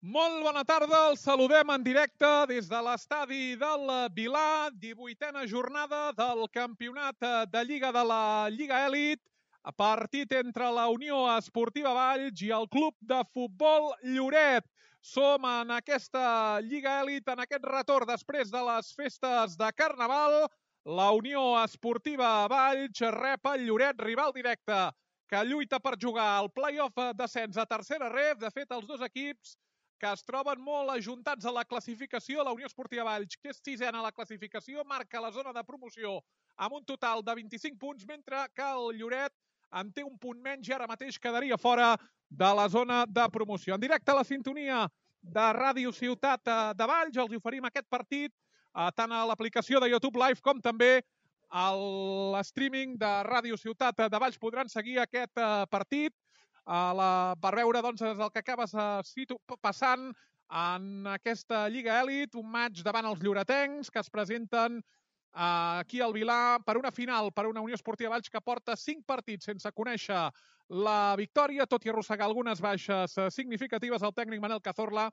Molt bona tarda, els saludem en directe des de l'estadi del Vilà, 18a jornada del campionat de Lliga de la Lliga Elit, partit entre la Unió Esportiva Valls i el Club de Futbol Lloret. Som en aquesta Lliga Elit, en aquest retorn després de les festes de Carnaval. La Unió Esportiva Valls rep el Lloret, rival directe, que lluita per jugar al play-off d'ascens a tercera ref. De fet, els dos equips que es troben molt ajuntats a la classificació. La Unió Esportiva Valls, que és sisena a la classificació, marca la zona de promoció amb un total de 25 punts, mentre que el Lloret en té un punt menys i ara mateix quedaria fora de la zona de promoció. En directe a la sintonia de Ràdio Ciutat de Valls, els oferim aquest partit tant a l'aplicació de YouTube Live com també a l'streaming de Ràdio Ciutat de Valls. Podran seguir aquest partit per veure doncs, el que acaba passant en aquesta Lliga Elit, un maig davant els lloretencs que es presenten aquí al Vilà per una final, per una Unió Esportiva Valls que porta 5 partits sense conèixer la victòria, tot i arrossegar algunes baixes significatives. El tècnic Manel Cazorla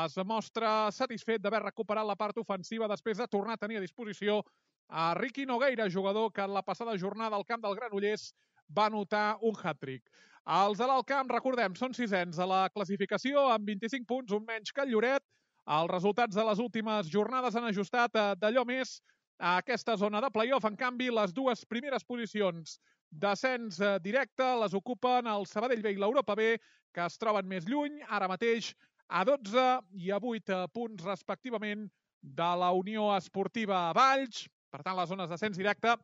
es mostra satisfet d'haver recuperat la part ofensiva després de tornar a tenir a disposició a Riqui Nogueira, jugador que en la passada jornada al camp del Granollers va anotar un hat-trick. Els de l'Alt Camp, recordem, són sisens a la classificació amb 25 punts, un menys que el Lloret. Els resultats de les últimes jornades han ajustat d'allò més a aquesta zona de play-off. En canvi, les dues primeres posicions d'ascens directe les ocupen el Sabadell B i l'Europa B, que es troben més lluny, ara mateix a 12 i a 8 punts respectivament de la Unió Esportiva Valls. Per tant, les zones d'ascens directe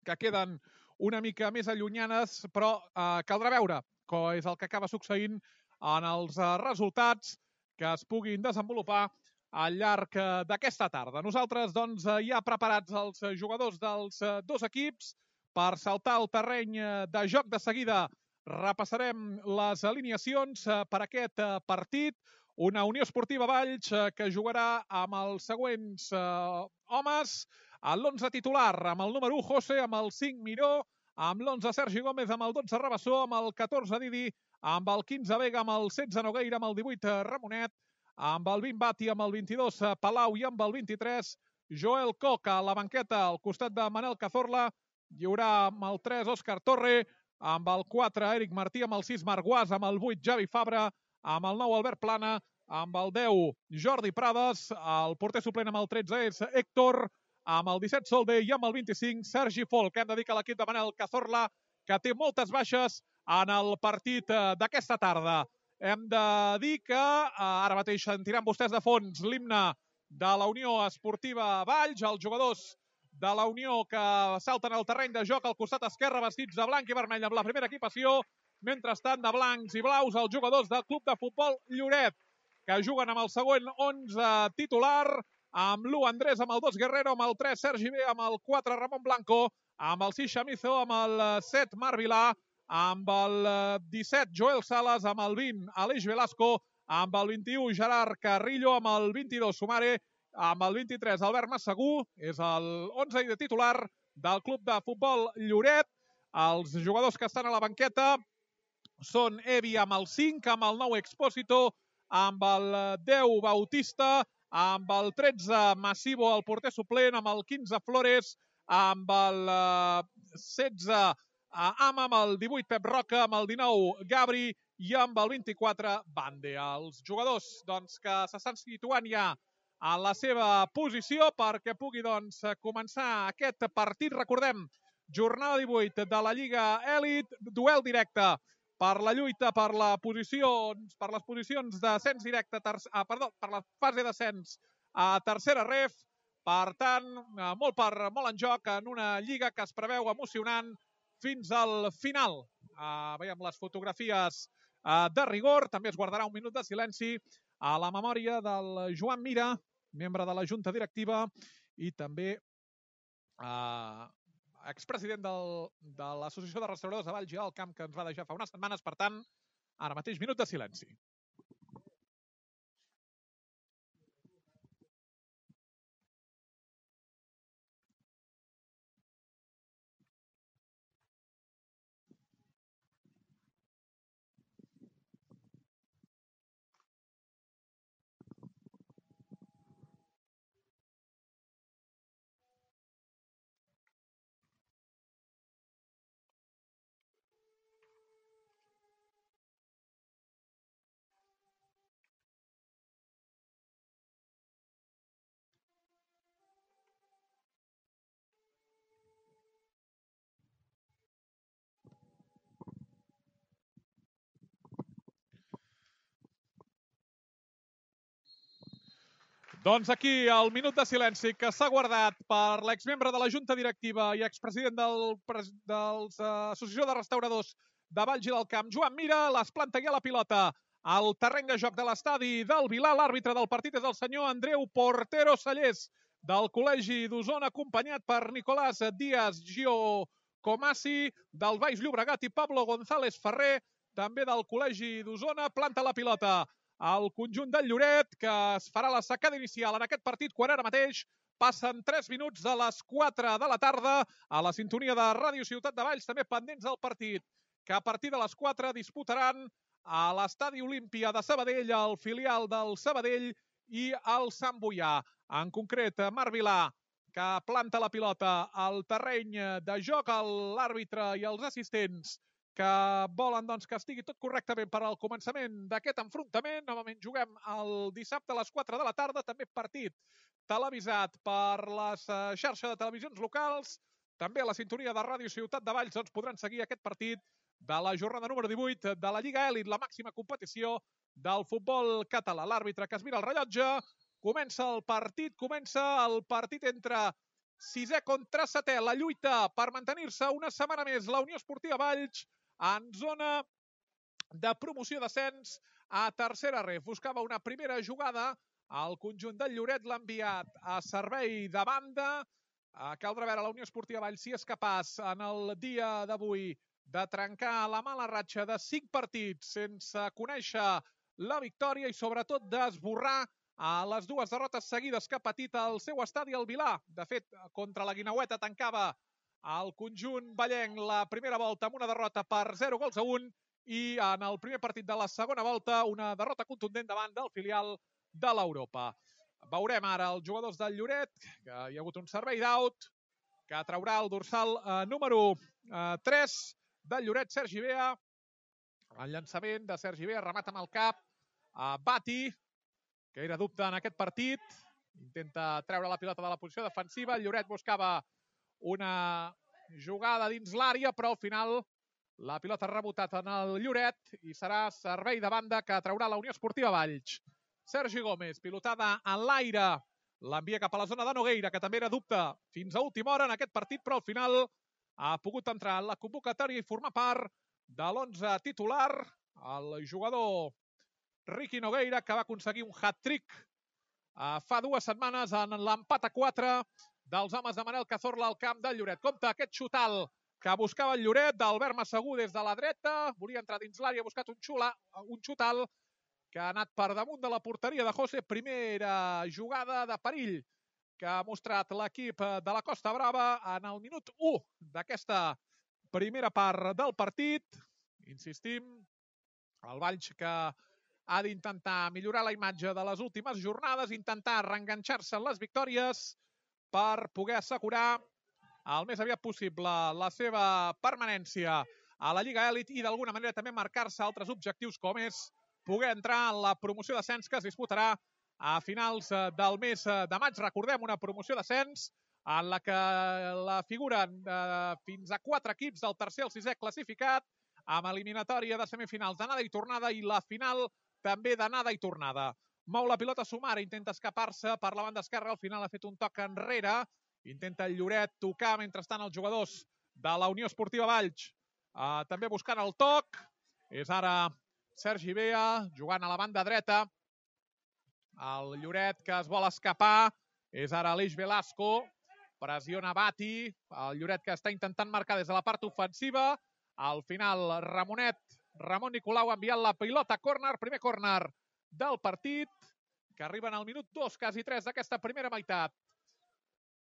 que queden una mica més allunyanes, però caldrà veure com és el que acaba succeint en els resultats que es puguin desenvolupar al llarg d'aquesta tarda. Nosaltres, doncs, ja preparats els jugadors dels dos equips per saltar al terreny de joc. De seguida repassarem les alineacions per aquest partit. Una Unió Esportiva Valls que jugarà amb els següents homes. A l'11 titular, amb el número 1, José, amb el 5, Miró, amb l'11, Sergi Gómez, amb el 12, Rabassó, amb el 14, Didi, amb el 15, Vega, amb el 16, Nogueira, amb el 18, Ramonet, amb el 20, Bati, amb el 22, Palau i amb el 23, Joel Coca. A la banqueta, al costat de Manel Cazorla, hi haurà amb el 3, Òscar Torre, amb el 4, Eric Martí, amb el 6, Marc Guas, amb el 8, Javi Fabra, amb el 9, Albert Plana, amb el 10, Jordi Prades, el porter suplent amb el 13 és Héctor, amb el 17 Solde i amb el 25 Sergi Folk, que hem de dir que l'equip de Manel Cazorla, que té moltes baixes en el partit d'aquesta tarda. Hem de dir que ara mateix sentiran vostès de fons l'himne de la Unió Esportiva Valls, els jugadors de la Unió que salten al terreny de joc al costat esquerre vestits de blanc i vermell amb la primera equipació, mentrestant de blancs i blaus els jugadors del Club de Futbol Lloret, que juguen amb el següent 11 titular, amb l'1 Andrés, amb el 2 Guerrero, amb el 3 Sergi B, amb el 4 Ramon Blanco, amb el 6 Chamizo, amb el 7 Marc Vilà, amb el 17 Joel Salas, amb el 20 Aleix Velasco, amb el 21 Gerard Carrillo, amb el 22 Sumare, amb el 23 Albert Massagú, és el 11 de titular del Club de Futbol Lloret. Els jugadors que estan a la banqueta són Evi amb el 5, amb el 9 Expósito, amb el 10 Bautista, amb el 13 Massivo, el porter suplent, amb el 15 Flores, amb el 16 Ama, amb el 18 Pep Roca, amb el 19 Gabri i amb el 24 Bande. Els jugadors doncs, que s'estan situant ja a la seva posició perquè pugui doncs, començar aquest partit. Recordem, jornada 18 de la Lliga Elit, duel directe per la lluita per les posicions d'ascens directe, per la fase d'ascens a tercera ref. Per tant, molt en joc en una lliga que es preveu emocionant fins al final. Veiem les fotografies de rigor. També es guardarà un minut de silenci a la memòria del Joan Mira, membre de la Junta Directiva i també expresident de l'Associació de Restauradors de Valls i Alt Camp, que ens va deixar fa unes setmanes. Per tant, ara mateix minut de silenci. Doncs aquí el minut de silenci que s'ha guardat per l'exmembre de la Junta Directiva i expresident de l'Associació de Restauradors de Valls i del Camp, Joan Mira, les planta ja la pilota al terreny de joc de l'estadi del Vilar. L'àrbitre del partit és el senyor Andreu Portero Sallés, del Col·legi d'Osona, acompanyat per Nicolás Díaz Giocomasi, del Baix Llobregat, i Pablo González Ferrer, també del Col·legi d'Osona. Planta la pilota al conjunt del Lloret, que es farà la secada inicial en aquest partit quan ara mateix passen 3 minuts de les 4 de la tarda a la sintonia de Ràdio Ciutat de Valls, també pendents del partit, que a partir de les 4 disputaran a l'Estadi Olímpia de Sabadell, el filial del Sabadell i el Sant Boià. En concret, Marc Vilà, que planta la pilota al terreny de joc, l'àrbitre i els assistents que volen que estigui tot correctament per al començament d'aquest enfrontament. Novament juguem el dissabte a les 4 de la tarda, també partit televisat per les xarxes de televisions locals. També a la sintonia de Ràdio Ciutat de Valls podran seguir aquest partit de la jornada número 18 de la Lliga Elit, la màxima competició del futbol català. L'àrbitre que es mira el rellotge, comença el partit entre sisè contra setè, la lluita per mantenir-se una setmana més la Unió Esportiva Valls en zona de promoció d'ascens a tercera ref. Buscava una primera jugada, el conjunt del Lloret l'ha enviat a servei de banda. Caldrà veure la Unió Esportiva Valls si és capaç en el dia d'avui de trencar la mala ratxa de 5 partits sense conèixer la victòria i sobretot d'esborrar les 2 derrotes seguides que ha patit el seu estadi al Vilar. De fet, contra la Guineueta tancava el conjunt vallenc la primera volta amb una derrota per 0-1 i en el primer partit de la segona volta una derrota contundent davant del filial de l'Europa. Veurem ara els jugadors del Lloret, que hi ha hagut un servei d'aut, que traurà el dorsal número 3 del Lloret, Sergi Bea. El llançament de Sergi Bea, remata amb el cap Bati, que era dubte en aquest partit. Intenta treure la pilota de la posició defensiva. El Lloret buscava una jugada dins l'àrea, però al final la pilota ha rebotat en el Lloret i serà servei de banda que traurà la Unió Esportiva Valls. Sergi Gómez, pilotada en l'aire, l'envia cap a la zona de Nogueira, que també era dubte fins a última hora en aquest partit, però al final ha pogut entrar en la convocatòria i formar part de l'11 titular. El jugador Ricky Nogueira, que va aconseguir un hat-trick fa 2 setmanes en l'empat a 4 dels homes de Manel Cazorla al camp del Lloret. Compte aquest xutal que buscava el Lloret d'Albert Massagú des de la dreta. Volia entrar dins l'àrea, ha buscat un xutal que ha anat per damunt de la porteria de José. Primera jugada de perill que ha mostrat l'equip de la Costa Brava en el minut 1 d'aquesta primera part del partit. Insistim, el Valls que ha d'intentar millorar la imatge de les últimes jornades, intentar reenganxar-se en les victòries per poder assegurar el més aviat possible la seva permanència a la Lliga Elit i d'alguna manera també marcar-se altres objectius com és poder entrar en la promoció d'ascens que es disputarà a finals del mes de maig. Recordem, una promoció d'ascens en la que la figuren fins a 4 equips del tercer al 6è classificat, amb eliminatòria de semifinals d'anada i tornada i la final també d'anada i tornada. Mou la pilota Sumare, intenta escapar-se per la banda esquerra, al final ha fet un toc enrere, intenta el Lloret tocar mentrestant els jugadors de la Unió Esportiva Valls. També buscant el toc, és ara Sergi Bea, jugant a la banda dreta. El Lloret que es vol escapar, és ara Aleix Velasco, pressiona Bati, el Lloret que està intentant marcar des de la part ofensiva. Al final, Ramon Nicolau ha enviat la pilota a córner, primer córner del partit, que arriba en el minut 2, quasi 3 d'aquesta primera meitat.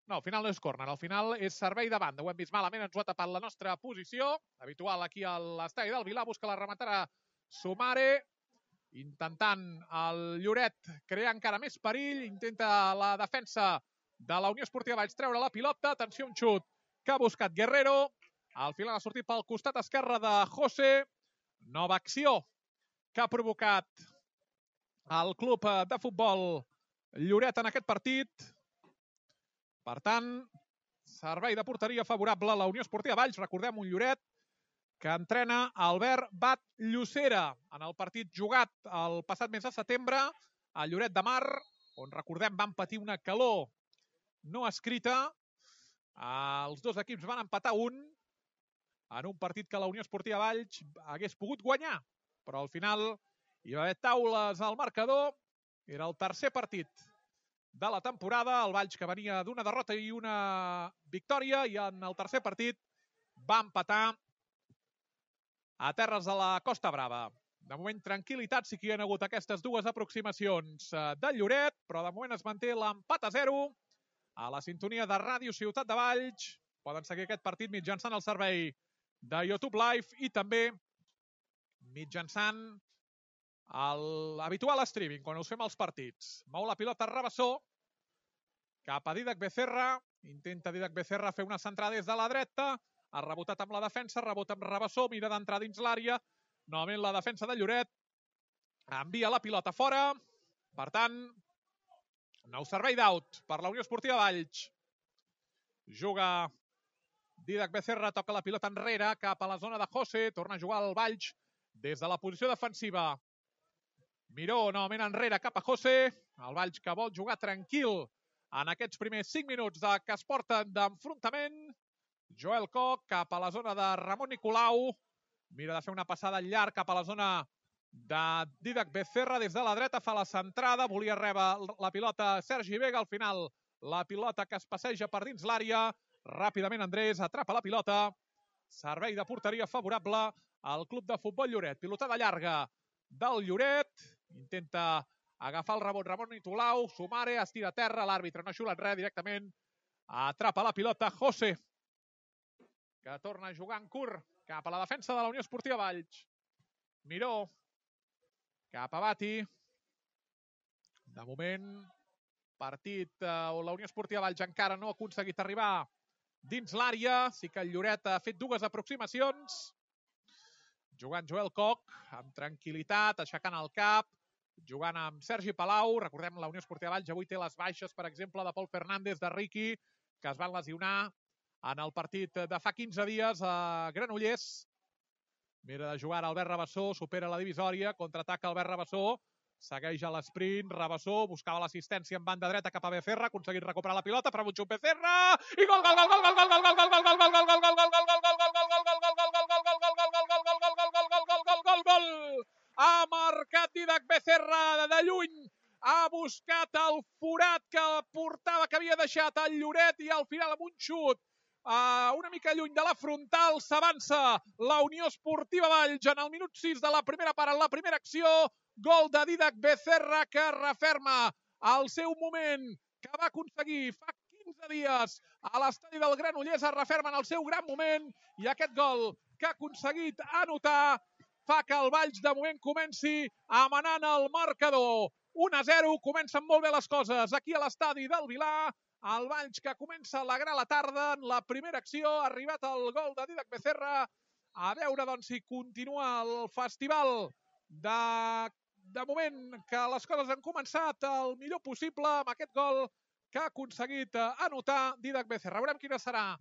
No, al final no és córner, al final és servei de banda. Ho hem vist malament, ens ho ha tapat la nostra posició. Habitual aquí a l'estadi del Vilar, busca la rematada Sumare, intentant el Lloret crear encara més perill, intenta la defensa de la Unió Esportiva Valls treure la pilota. Atenció, un xut que ha buscat Guerrero. Al final ha sortit pel costat esquerre de José. Nova acció que ha provocat el club de futbol Lloret en aquest partit. Per tant, servei de porteria favorable a la Unió Esportiva Valls. Recordem, un Lloret que entrena Albert Batllocera en el partit jugat el passat mes de setembre a Lloret de Mar, on, recordem, van patir una calor no escrita. Els dos equips van empatar en un partit que la Unió Esportiva Valls hagués pogut guanyar, però al final hi va haver taules al marcador. Era el tercer partit de la temporada, el Valls que venia d'una derrota i una victòria, i en el tercer partit va empatar a terres de la Costa Brava. De moment, tranquil·litat, sí que hi ha hagut aquestes dues aproximacions del Lloret, però de moment es manté l'empat a 0 a la sintonia de Ràdio Ciutat de Valls. Poden seguir aquest partit mitjançant el servei de YouTube Live i també mitjançant l'habitual streaming, quan us fem els partits. Mou la pilota Rabassó cap a Didac Becerra. Intenta Didac Becerra fer una centrada des de la dreta. Ha rebotat amb la defensa, rebota amb Rabassó, mira d'entrar dins l'àrea. Novament la defensa de Lloret. Envia la pilota fora. Per tant, nou servei d'out per la Unió Esportiva Valls. Juga Didac Becerra, toca la pilota enrere cap a la zona de José. Torna a jugar el Valls des de la posició defensiva. Miró novament enrere cap a José. El Valls que vol jugar tranquil en aquests primers 5 minuts que es porten d'enfrontament. Joel Koch cap a la zona de Ramon Nicolau. Mira de fer una passada llarg cap a la zona de Didac Becerra. Des de la dreta fa la centrada. Volia rebre la pilota Sergi Vega. Al final la pilota que es passeja per dins l'àrea. Ràpidament Andrés atrapa la pilota. Servei de porteria favorable al club de futbol Lloret. Pilotada llarga del Lloret. Intenta agafar el rebot Ramon Nicolau. Sumare, es tira a terra. L'àrbitre no ha xulat res, directament atrapa la pilota José, que torna a jugar en curt cap a la defensa de la Unió Esportiva Valls. Miró cap a Bati. De moment, partit on la Unió Esportiva Valls encara no ha aconseguit arribar dins l'àrea. Sí que el Lloret ha fet dues aproximacions. Jugant Joel Koch amb tranquil·litat, aixecant el cap, jugant amb Sergi Palau. Recordem, la Unió Esportiva Valls avui té les baixes, per exemple, de Pol Fernández, de Riqui, que es van lesionar en el partit de fa 15 dies a Granollers. Mira de jugar Albert Rabassó, supera la divisòria, contraataca Albert Rabassó, segueix a l'esprint, Rabassó buscava l'assistència en banda dreta cap a Becerra, ha aconseguit recuperar la pilota, per Butxup Becerra, i gol, gol, gol, gol, gol, gol, gol, gol, gol, gol, gol, gol, gol, gol, gol, gol. Ha marcat Didac Becerra de lluny, ha buscat el forat que portava, que havia deixat el Lloret, i al final amb un xut una mica lluny de la frontal s'avança la Unió Esportiva Valls en el minut 6 de la primera part, en la primera acció. Gol de Didac Becerra, que referma el seu moment que va aconseguir fa 15 dies a l'estadi del Granollers. Es referma en el seu gran moment, i aquest gol que ha aconseguit anotar fa que el Valls de moment comenci amanant el marcador. 1-0, comencen molt bé les coses aquí a l'estadi del Vilar. El Valls que comença a alegrar la tarda en la primera acció. Ha arribat el gol de Didac Becerra. A veure, doncs, si continua el festival de moment, que les coses han començat el millor possible amb aquest gol que ha aconseguit anotar Didac Becerra. Veurem quina serà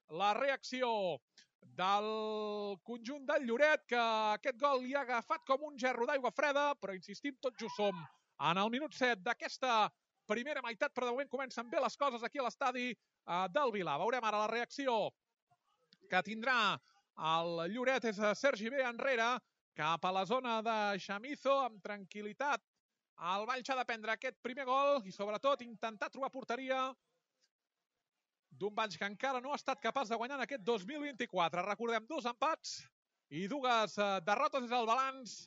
la reacció del conjunt del Lloret, que aquest gol li ha agafat com un gerro d'aigua freda, però insistim, tot just som en el minut 7 d'aquesta primera meitat, però de moment comencen bé les coses aquí a l'estadi del Vilar. Veurem ara la reacció que tindrà el Lloret. És Sergi B enrere, cap a la zona de Chamizo, amb tranquil·litat. El Valls ha de prendre aquest primer gol i, sobretot, intentar trobar porteria d'un Valls que encara no ha estat capaç de guanyar en aquest 2024. Recordem, 2 empats i 2 derrotes. És el balanç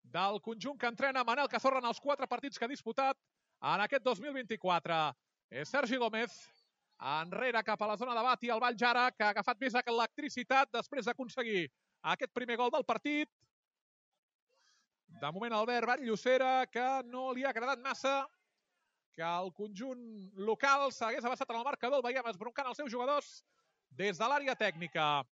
del conjunt que entrena Manel Cazorla en els 4 partits que ha disputat en aquest 2024. És Sergi Gómez enrere cap a la zona de Bati. El Valls ara, que ha agafat més electricitat després d'aconseguir aquest primer gol del partit. De moment Albert Batllocera, que no li ha agradat massa que el conjunt local s'hagués avançat en el marcador. El veiem esbroncant els seus jugadors des de l'àrea tècnica.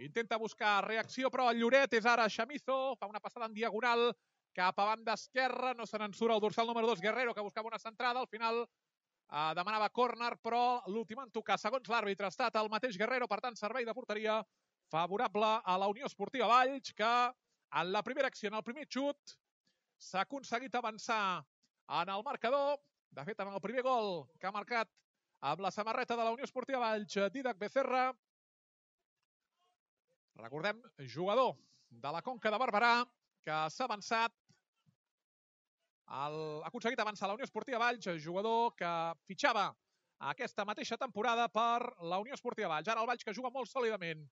Intenta buscar reacció, però el Lloret és ara Chamizo. Fa una passada en diagonal cap a banda esquerra. No se n'en surt el dorsal número 2, Guerrero, que buscava una centrada. Al final demanava córner, però l'últim en tocar, segons l'àrbitre, ha estat el mateix Guerrero. Per tant, servei de porteria favorable a la Unió Esportiva Valls, que en la primera acció, en el primer xut, s'ha aconseguit avançar en el marcador. De fet, en el primer gol que ha marcat amb la samarreta de la Unió Esportiva Valls, Dídac Becerra. Recordem, jugador de la Conca de Barberà, que s'ha avançat, ha aconseguit avançar la Unió Esportiva Valls, jugador que fitxava aquesta mateixa temporada per la Unió Esportiva Valls. Ara el Valls, que juga molt sòlidament,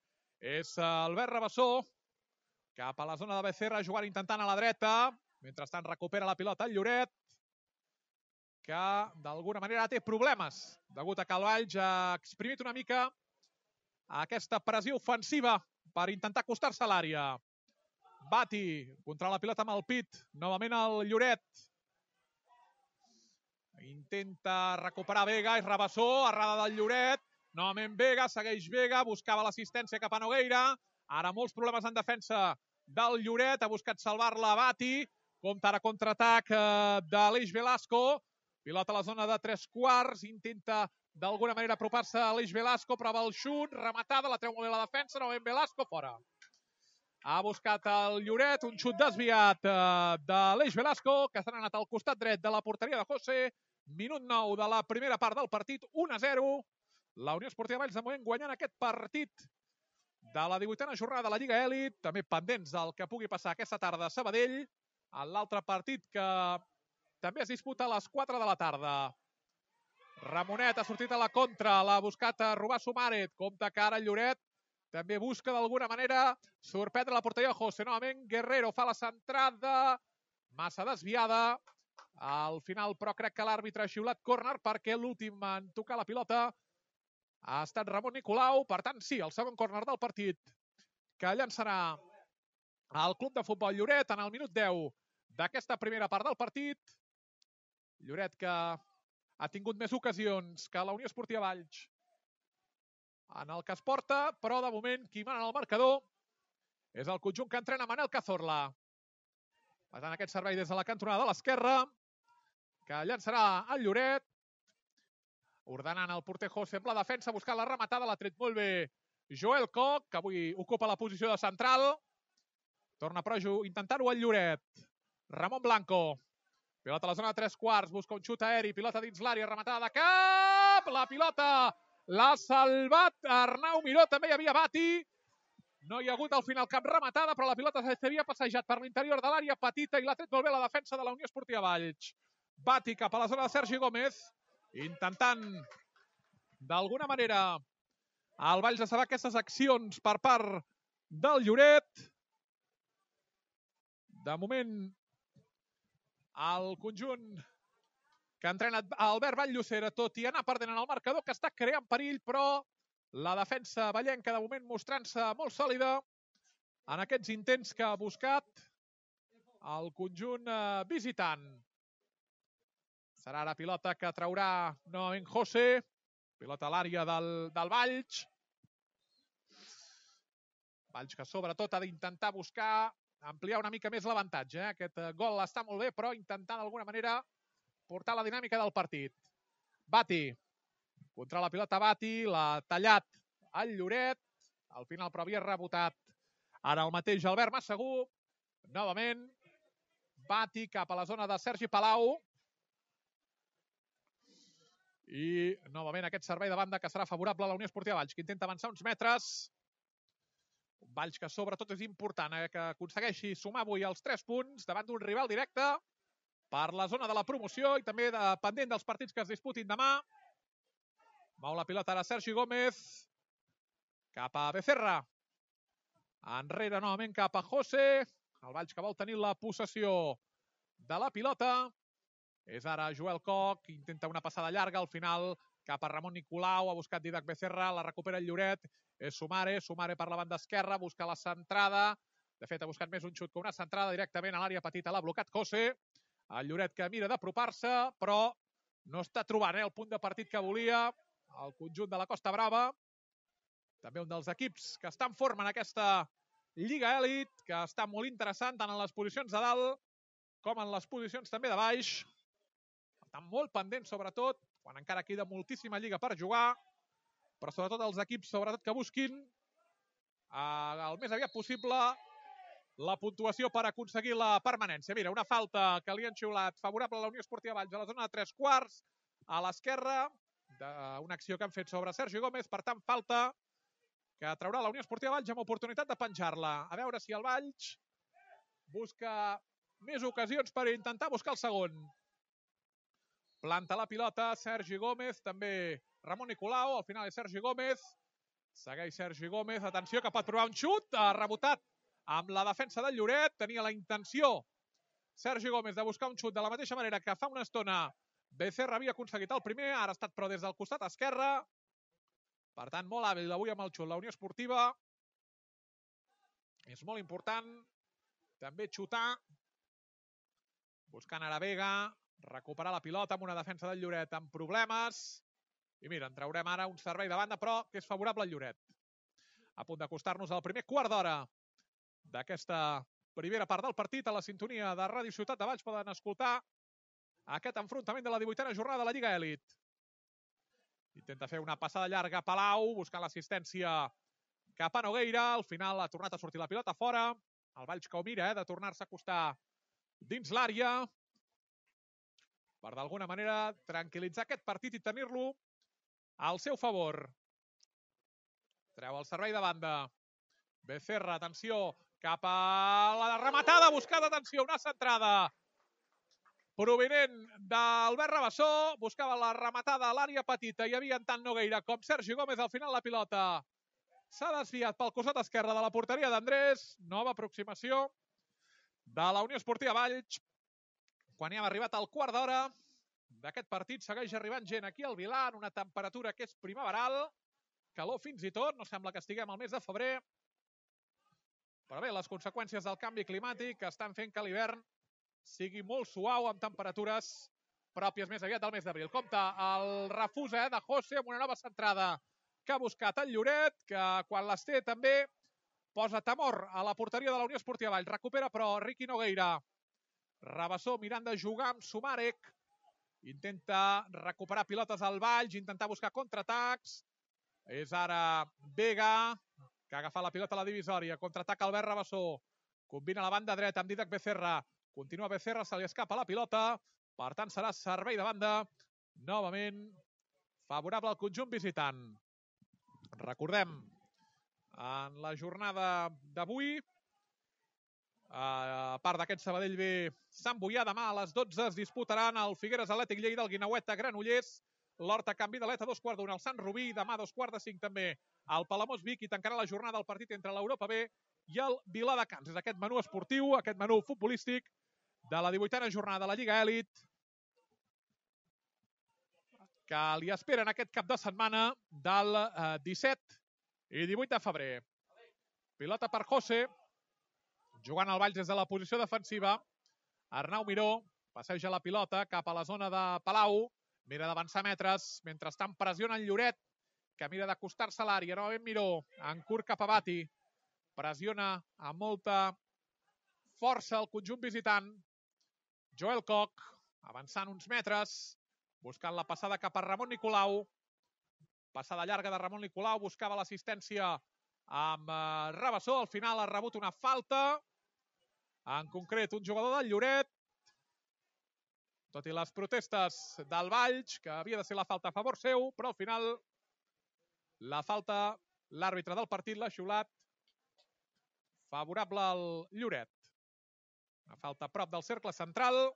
és Albert Rabassó, cap a la zona de Becerra, jugant intentant a la dreta. Mentrestant recupera la pilota el Lloret, que d'alguna manera té problemes, degut a que el Valls ha exprimit una mica aquesta pressió ofensiva per intentar acostar-se a l'àrea. Bati contra la pilota amb el pit, novament el Lloret. Intenta recuperar Vega, és Rabassó, errada del Lloret. Novament Vega, segueix Vega, buscava l'assistència cap a Nogueira. Ara molts problemes en defensa del Lloret, ha buscat salvar-la Bati. Compta ara contraatac d'Aleix Velasco. Pilota a la zona de 3/4, intenta d'alguna manera apropar-se a Aleix Velasco, prova el xut, rematada, la treu molt bé la defensa, novament Velasco, fora. Ha buscat el Lloret, un xut desviat d'Aleix Velasco, que s'ha anat al costat dret de la porteria de José. Minut 9 de la primera part del partit, 1-0. La Unió Esportiva Valls de moment guanyant aquest partit de la 18a jornada de la Lliga Elit, també pendents del que pugui passar aquesta tarda a Sabadell, en l'altre partit que també es disputa a les 4 de la tarda. Ramonet ha sortit a la contra, l'ha buscat a robar Sumaret, compta que ara Lloret també busca d'alguna manera sorprendre la porteria de José. Novament Guerrero fa la centrada, massa desviada. Al final, però, crec que l'àrbitre ha xiulat córner perquè l'últim en tocar la pilota ha estat Ramon Nicolau. Per tant, sí, el segon córner del partit que llançarà el Club de Futbol Lloret en el minut 10 d'aquesta primera part del partit. Lloret que ha tingut més ocasions que la Unió Esportiva Valls en el que es porta, però de moment qui mana en el marcador és el conjunt que entrena Manel Cazorla. Per tant, aquest servei des de la cantonada de l'esquerra, que llançarà el Lloret, ordenant el porter José amb la defensa, buscant la rematada, l'ha tret molt bé Joel Koch, que avui ocupa la posició de central. Torna però intentar-ho el Lloret. Ramon Blanco. Pilota a la zona de 3/4, busca un xut aeri, pilota dins l'àrea, rematada de cap, la pilota l'ha salvat Arnau Miró, també hi havia Bati. No hi ha hagut al final cap rematada, però la pilota s'havia passejat per l'interior de l'àrea petita i l'ha tret molt bé la defensa de la Unió Esportiva Valls. Bati cap a la zona de Sergi Gómez, intentant d'alguna manera el Valls de saber aquestes accions per part del Lloret. De moment, el conjunt que entrena Albert Vall-Llosera, tot i anar perdent en el marcador, que està creant perill, però la defensa vallenca de moment mostrant-se molt sòlida en aquests intents que ha buscat el conjunt visitant. Serà ara pilota que traurà novament José, pilota a l'àrea del Valls. Valls que sobretot ha d'intentar buscar ampliar una mica més l'avantatge. Aquest gol està molt bé, però intentant d'alguna manera portar la dinàmica del partit. Bati, contra la pilota Bati, l'ha tallat el Lloret, al final però havia rebotat ara el mateix Albert Massegú. Novament, Bati cap a la zona de Sergi Palau. I novament aquest servei de banda que serà favorable a la Unió Esportiva Valls, que intenta avançar uns metres. Valls que sobretot és important que aconsegueixi sumar avui els 3 punts davant d'un rival directe per la zona de la promoció i també pendent dels partits que es disputin demà. Mou la pilota ara Sergi Gómez cap a Becerra. Enrere novament cap a José. El Valls que vol tenir la possessió de la pilota. És ara Joel Koch, intenta una passada llarga, al final cap a Ramon Nicolau, ha buscat Dídac Becerra, la recupera el Lloret, és Sumare per la banda esquerra, busca la centrada, de fet ha buscat més un xut que una centrada directament a l'àrea petita, l'ha blocat José, el Lloret que mira d'apropar-se, però no està trobant el punt de partit que volia, el conjunt de la Costa Brava, també un dels equips que està en forma en aquesta Lliga Elit, que està molt interessant tant en les posicions de dalt com en les posicions també de baix. Estan molt pendents, sobretot, quan encara queda moltíssima lliga per jugar, però sobretot els equips que busquin el més aviat possible la puntuació per aconseguir la permanència. Mira, una falta que li han xiulat favorable a la Unió Esportiva Valls a la zona de 3/4, a l'esquerra, d'una acció que han fet sobre Sergi Gómez. Per tant, falta que traurà la Unió Esportiva Valls amb oportunitat de penjar-la. A veure si el Valls busca més ocasions per intentar buscar el segon. Planta la pilota Sergi Gómez, també Ramon Nicolau, al final és Sergi Gómez. Segueix Sergi Gómez, atenció que pot provar un xut, ha rebotat amb la defensa del Lloret, tenia la intenció Sergi Gómez de buscar un xut de la mateixa manera que fa una estona Becerra havia aconseguit el primer, ara ha estat però des del costat esquerre. Per tant, molt hàbil avui amb el xut la Unió Esportiva. És molt important també xutar, buscant ara Vega, recuperar la pilota amb una defensa del Lloret amb problemes. I mira, en traurem ara un servei de banda, però que és favorable al Lloret. A punt d'acostar-nos al primer quart d'hora d'aquesta primera part del partit. A la sintonia de Ràdio Ciutat de Valls poden escoltar aquest enfrontament de la 18a jornada de la Lliga Elit. Intenta fer una passada llarga a Palau, buscant l'assistència cap a Nogueira. Al final ha tornat a sortir la pilota fora. El Valls que ho mira, de tornar-se a acostar dins l'àrea per d'alguna manera tranquil·litzar aquest partit i tenir-lo al seu favor. Treu el servei de banda. Becerra, atenció, cap a la rematada, buscada, atenció, una centrada provinent d'Albert Rabassó, buscava la rematada a l'àrea petita, hi havia tant Nogueira com Sergi Gómez. Al final la pilota s'ha desviat pel costat esquerre de la porteria d'Andrés. Nova aproximació de la Unió Esportiva Valls. Quan hi hem arribat al quart d'hora d'aquest partit, segueix arribant gent aquí al Vilà en una temperatura que és primaveral, calor fins i tot, no sembla que estiguem al mes de febrer. Però bé, les conseqüències del canvi climàtic estan fent que l'hivern sigui molt suau, amb temperatures pròpies més aviat del mes d'abril. Compte el refús de José amb una nova centrada que ha buscat el Lloret, que quan les té també posa temor a la porteria de la Unió Esportiva Valls. Recupera però Riqui Nogueira. Rabassó mirant de jugar amb Sumarek. Intenta recuperar pilotes al Valls, intentar buscar contraatacs. És ara Vega, que ha agafat la pilota a la divisòria. Contraatac Albert Rabassó. Combina la banda dreta amb Didac Becerra. Continua Becerra, se li escapa la pilota. Per tant, serà servei de banda. Novament, favorable al conjunt visitant. Recordem, en la jornada d'avui, a part d'aquest Sabadell B Sant Boià, demà a les 12 es disputaran el Figueres Atlètic Lleida, el Guinaueta Granollers, l'Horta Canvi de l'Eta, 2/4 al Sant Rubí, demà 2/5 també al Palamós Vic, i tancarà la jornada el partit entre l'Europa B i el Viladecans. És aquest menú esportiu, aquest menú futbolístic de la 18a jornada de la Lliga Elit que li esperen aquest cap de setmana del 17 i 18 de febrer. Pilota per José, jugant al Valls des de la posició defensiva. Arnau Miró passeja la pilota cap a la zona de Palau, mira d'avançar metres, mentrestant pressiona el Lloret, que mira d'acostar-se a l'àrea. Novament Miró, en curt cap a Bati, pressiona amb molta força el conjunt visitant. Joel Koch, avançant uns metres, buscant la passada cap a Ramon Nicolau. Passada llarga de Ramon Nicolau, buscava l'assistència amb Rabassó. Al final ha rebut una falta, en concret un jugador del Lloret. Tot i les protestes del Valls, que havia de ser la falta a favor seu, però al final la falta, l'àrbitre del partit l'ha xiulat favorable al Lloret. Una falta a prop del cercle central.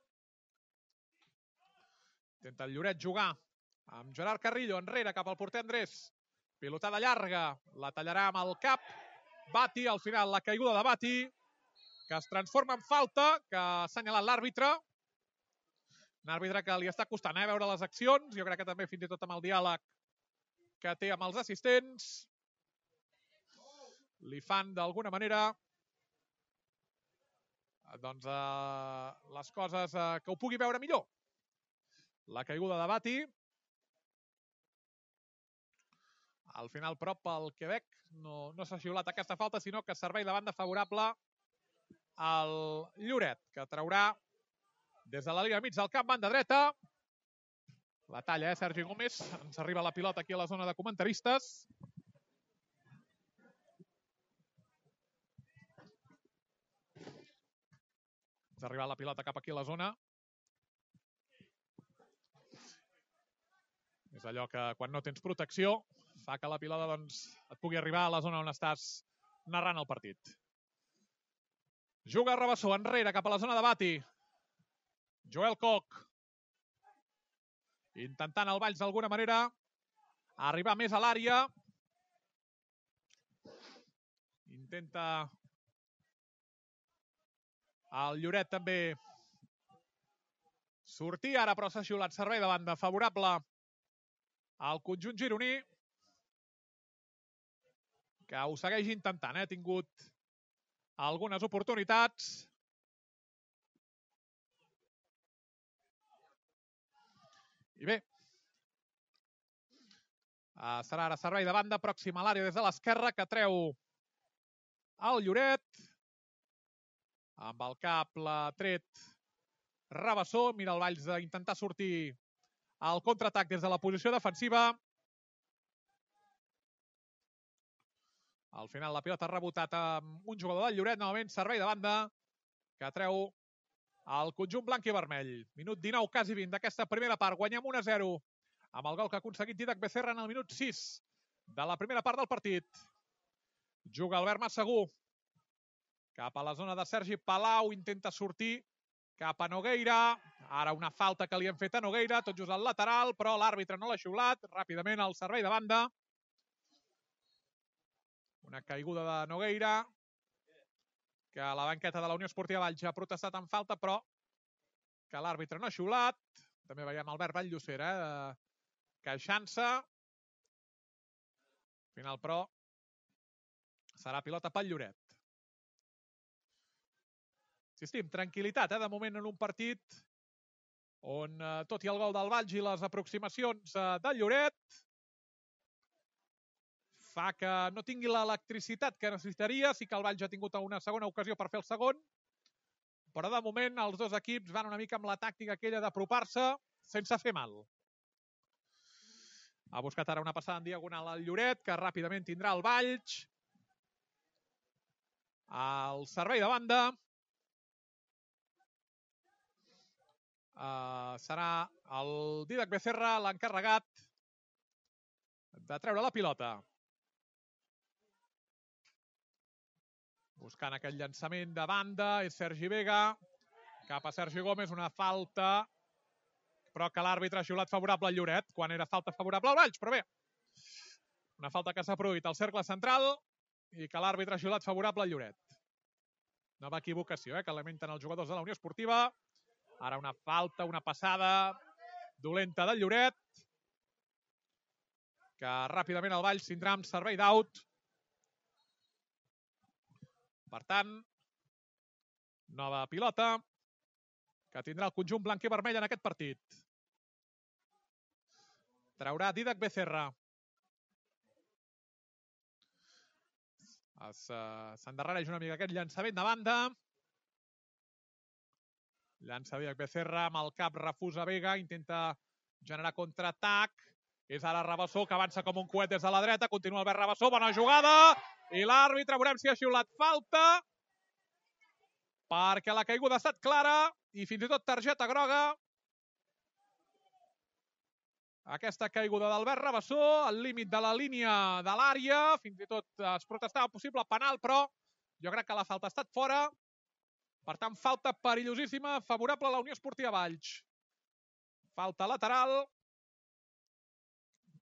Intenta el Lloret jugar amb Gerard Carrillo enrere cap al porter Andrés. Pilotada llarga, la tallarà amb el cap. Bati, al final la caiguda de Bati, que es transforma en falta, que ha assenyalat l'àrbitre. Un àrbitre que li està costant veure les accions. Jo crec que també fins i tot amb el diàleg que té amb els assistents li fan d'alguna manera doncs les coses que ho pugui veure millor. La caiguda de Bati. Al final, però, pel Quebec no s'ha xiulat aquesta falta, sinó que servei de banda favorable al Lloret, que traurà des de la línia mig del camp, banda dreta. La talla, Sergi Gómez. Ens arriba la pilota aquí a la zona de comentaristes. Ens ha arribat la pilota cap aquí a la zona. És allò que quan no tens protecció fa que la pilota doncs, et pugui arribar a la zona on estàs narrant el partit. Juga Rabassó enrere cap a la zona de Bati. Joel Koch. Intentant el Valls d'alguna manera arribar més a l'àrea. Intenta el Lloret també sortir ara, però s'ha xiulat servei de banda favorable al conjunt gironí, que ho segueix intentant. Ha tingut algunes oportunitats. I bé, serà ara servei de banda, pròxim a l'àrea des de l'esquerra, que treu el Lloret. Amb el cap l'ha tret Rabassó. Mira el Valls d'intentar sortir al contraatac des de la posició defensiva. Al final la pilota ha rebotat amb un jugador del Lloret. Novament servei de banda que treu el conjunt blanc i vermell. Minut 19, quasi 20 d'aquesta primera part. Guanyem 1-0 amb el gol que ha aconseguit Dídac Becerra en el minut 6 de la primera part del partit. Juga Albert Massagú cap a la zona de Sergi Palau. Intenta sortir cap a Nogueira. Ara una falta que li han fet a Nogueira, tot just al lateral, però l'àrbitre no l'ha xiulat. Ràpidament el servei de banda. Una caiguda de Nogueira, que la banqueta de la Unió Esportiva Valls ha protestat en falta, però que l'àrbitre no ha xiulat. També veiem Albert Valllocera queixant-se. Al final, però, serà pilota pel Lloret. Insistim, tranquil·litat, de moment en un partit on, tot i el gol del Valls i les aproximacions del Lloret, fa que no tingui l'electricitat que necessitaria. Sí que el Valls ha tingut una segona ocasió per fer el segon, però de moment els dos equips van una mica amb la tàctica aquella d'apropar-se sense fer mal. Ha buscat ara una passada en diagonal al Lloret, que ràpidament tindrà el Valls. El servei de banda serà el Dídac Becerra l'encarregat de treure la pilota. Buscant aquell llançament de banda, és Sergi Vega. Cap a Sergi Gómez, una falta, però que l'àrbitre ha xiulat favorable al Lloret, quan era falta favorable al Valls, però bé. Una falta que s'ha produït al cercle central i que l'àrbitre ha xiulat favorable al Lloret. Nova equivocació, que lamenten els jugadors de la Unió Esportiva. Ara una falta, una passada dolenta del Lloret, que ràpidament el Valls tindrà amb servei d'aut. Per tant, nova pilota que tindrà el conjunt blanc i vermell en aquest partit. Traurà Dídac Becerra. S'endarrereix una mica aquest llançament de banda. Llança Dídac Becerra amb el cap, refusa Vega, intenta generar contraatac. És ara Rabassó, que avança com un coet des de la dreta. Continua Albert Rabassó, bona jugada. I l'àrbitre, veurem si ha xiulat falta, perquè la caiguda ha estat clara i fins i tot targeta groga. Aquesta caiguda d'Albert Rabassó, al límit de la línia de l'àrea. Fins i tot es protestava possible penal, però jo crec que la falta ha estat fora. Per tant, falta perillosíssima, favorable a la Unió Esportiva Valls. Falta lateral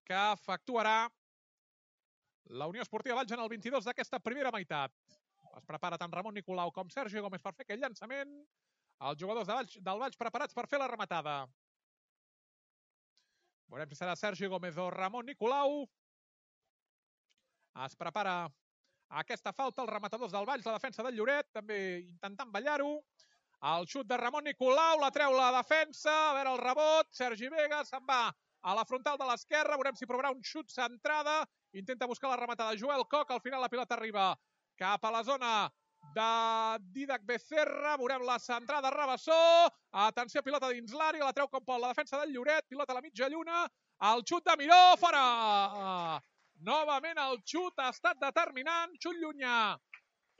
que efectuarà la Unió Esportiva Valls en el 22 d'aquesta primera meitat. Es prepara tant Ramon Nicolau com Sergi Gómez per fer aquell llançament. Els jugadors del Valls preparats per fer la rematada. Veurem si serà Sergi Gómez o Ramon Nicolau. Es prepara aquesta falta, els rematadors del Valls, la defensa del Lloret, també intentant ballar-ho. El xut de Ramon Nicolau, la treu la defensa, a veure el rebot, Sergi Vega se'n va a la frontal de l'esquerra, veurem si provarà un xut centrada, intenta buscar la rematada Joel Koch, al final la pilota arriba cap a la zona de Dídac Becerra, veurem la centrada Rabassó, atenció, pilota dins l'àrea, la treu com pot la defensa del Lloret, pilota a la mitja lluna, el xut de Miró, fora! Novament el xut ha estat determinant, xut llunyà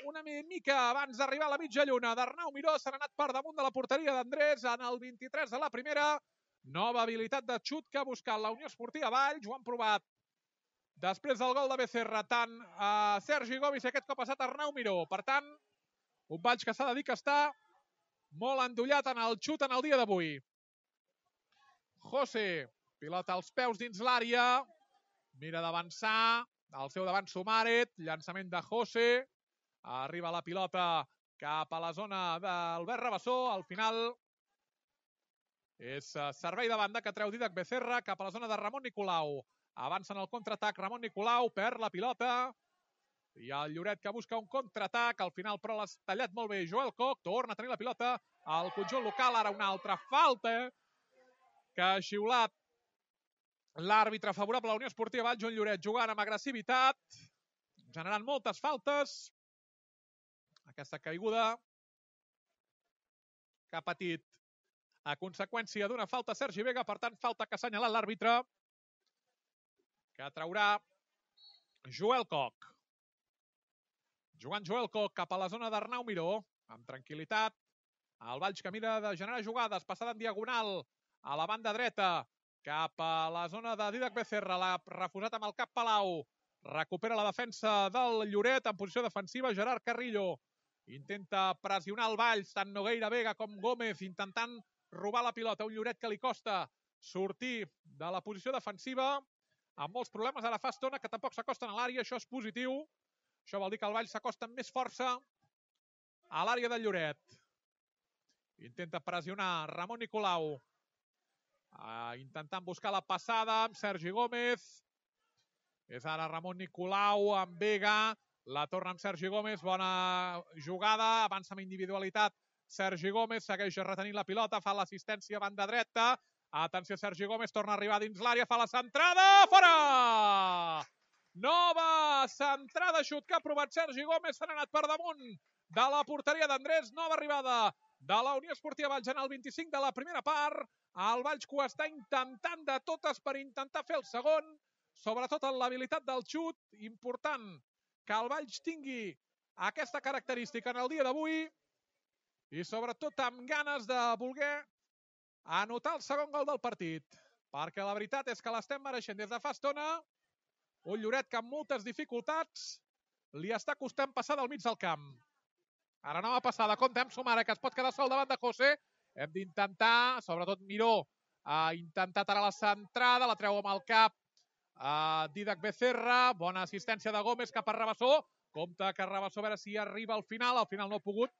una mica abans d'arribar a la mitja lluna d'Arnau Miró, s'han anat per damunt de la porteria d'Andrés en el 23 de la primera. Nova habilitat de xut que ha buscat la Unió Esportiva Valls. Ho han provat després del gol de Becerra, tant a Sergi Gomis, aquest cop ha estat Arnau Miró. Per tant, un Valls que s'ha de dir que està molt endollat en el xut en el dia d'avui. José, pilota als peus dins l'àrea, mira d'avançar, al seu davant Sumaret, llançament de José, arriba la pilota cap a la zona d'Albert Rabassó, al final és servei de banda que treu Dídac Becerra cap a la zona de Ramon Nicolau. Avança en el contraatac Ramon Nicolau, perd la pilota, i el Lloret que busca un contraatac, al final però l'ha tallat molt bé Joel Koch, torna a tenir la pilota al conjunt local, ara una altra falta que ha xiulat l'àrbitre favorable a la Unió Esportiva Valls. Un Lloret jugant amb agressivitat, generant moltes faltes. Aquesta caiguda que ha patit a conseqüència d'una falta Sergi Vega, per tant falta que ha assenyalat l'àrbitre, que traurà Joel Koch. Jugant Joel Koch cap a la zona d'Arnau Miró, amb tranquil·litat. El Valls que mira de generar jugades, passada en diagonal a la banda dreta, cap a la zona de Dídac Becerra, l'ha refusat amb el cap Palau. Recupera la defensa del Lloret en posició defensiva, Gerard Carrillo. Intenta pressionar el Valls, tant Nogueira, Vega com Gómez, intentant robar la pilota. Un Lloret que li costa sortir de la posició defensiva, amb molts problemes. Ara fa estona que tampoc s'acosten a l'àrea, això és positiu. Això vol dir que el Valls s'acosta amb més força a l'àrea del Lloret. Intenta pressionar Ramon Nicolau, intentant buscar la passada amb Sergi Gómez. És ara Ramon Nicolau amb Vega, la torna amb Sergi Gómez, bona jugada, avança amb individualitat Sergi Gómez, segueix retenint la pilota, fa l'assistència a banda dreta. Atenció, Sergi Gómez torna a arribar dins l'àrea, fa la centrada, fora! Nova centrada, xut que ha provat Sergi Gómez, s'han anat per damunt de la porteria d'Andrés. Nova arribada de la Unió Esportiva Valls en el 25 de la primera part. El Valls que ho està intentant de totes per intentar fer el segon, sobretot en l'habilitat del xut. Important que el Valls tingui aquesta característica en el dia d'avui i sobretot amb ganes de voler anotar el segon gol del partit, perquè la veritat és que l'estem mereixent des de fa estona. Un Lloret que amb moltes dificultats li està costant passar del mig del camp. Ara nova passada, compte amb Sumare, que es pot quedar sol davant de José. Hem d'intentar, sobretot Miró, ha intentat ara la centrada, la treu amb el cap Dídac Becerra. Bona assistència de Gómez cap a Rabassó. Compte que Rabassó a veure si arriba al final no ha pogut.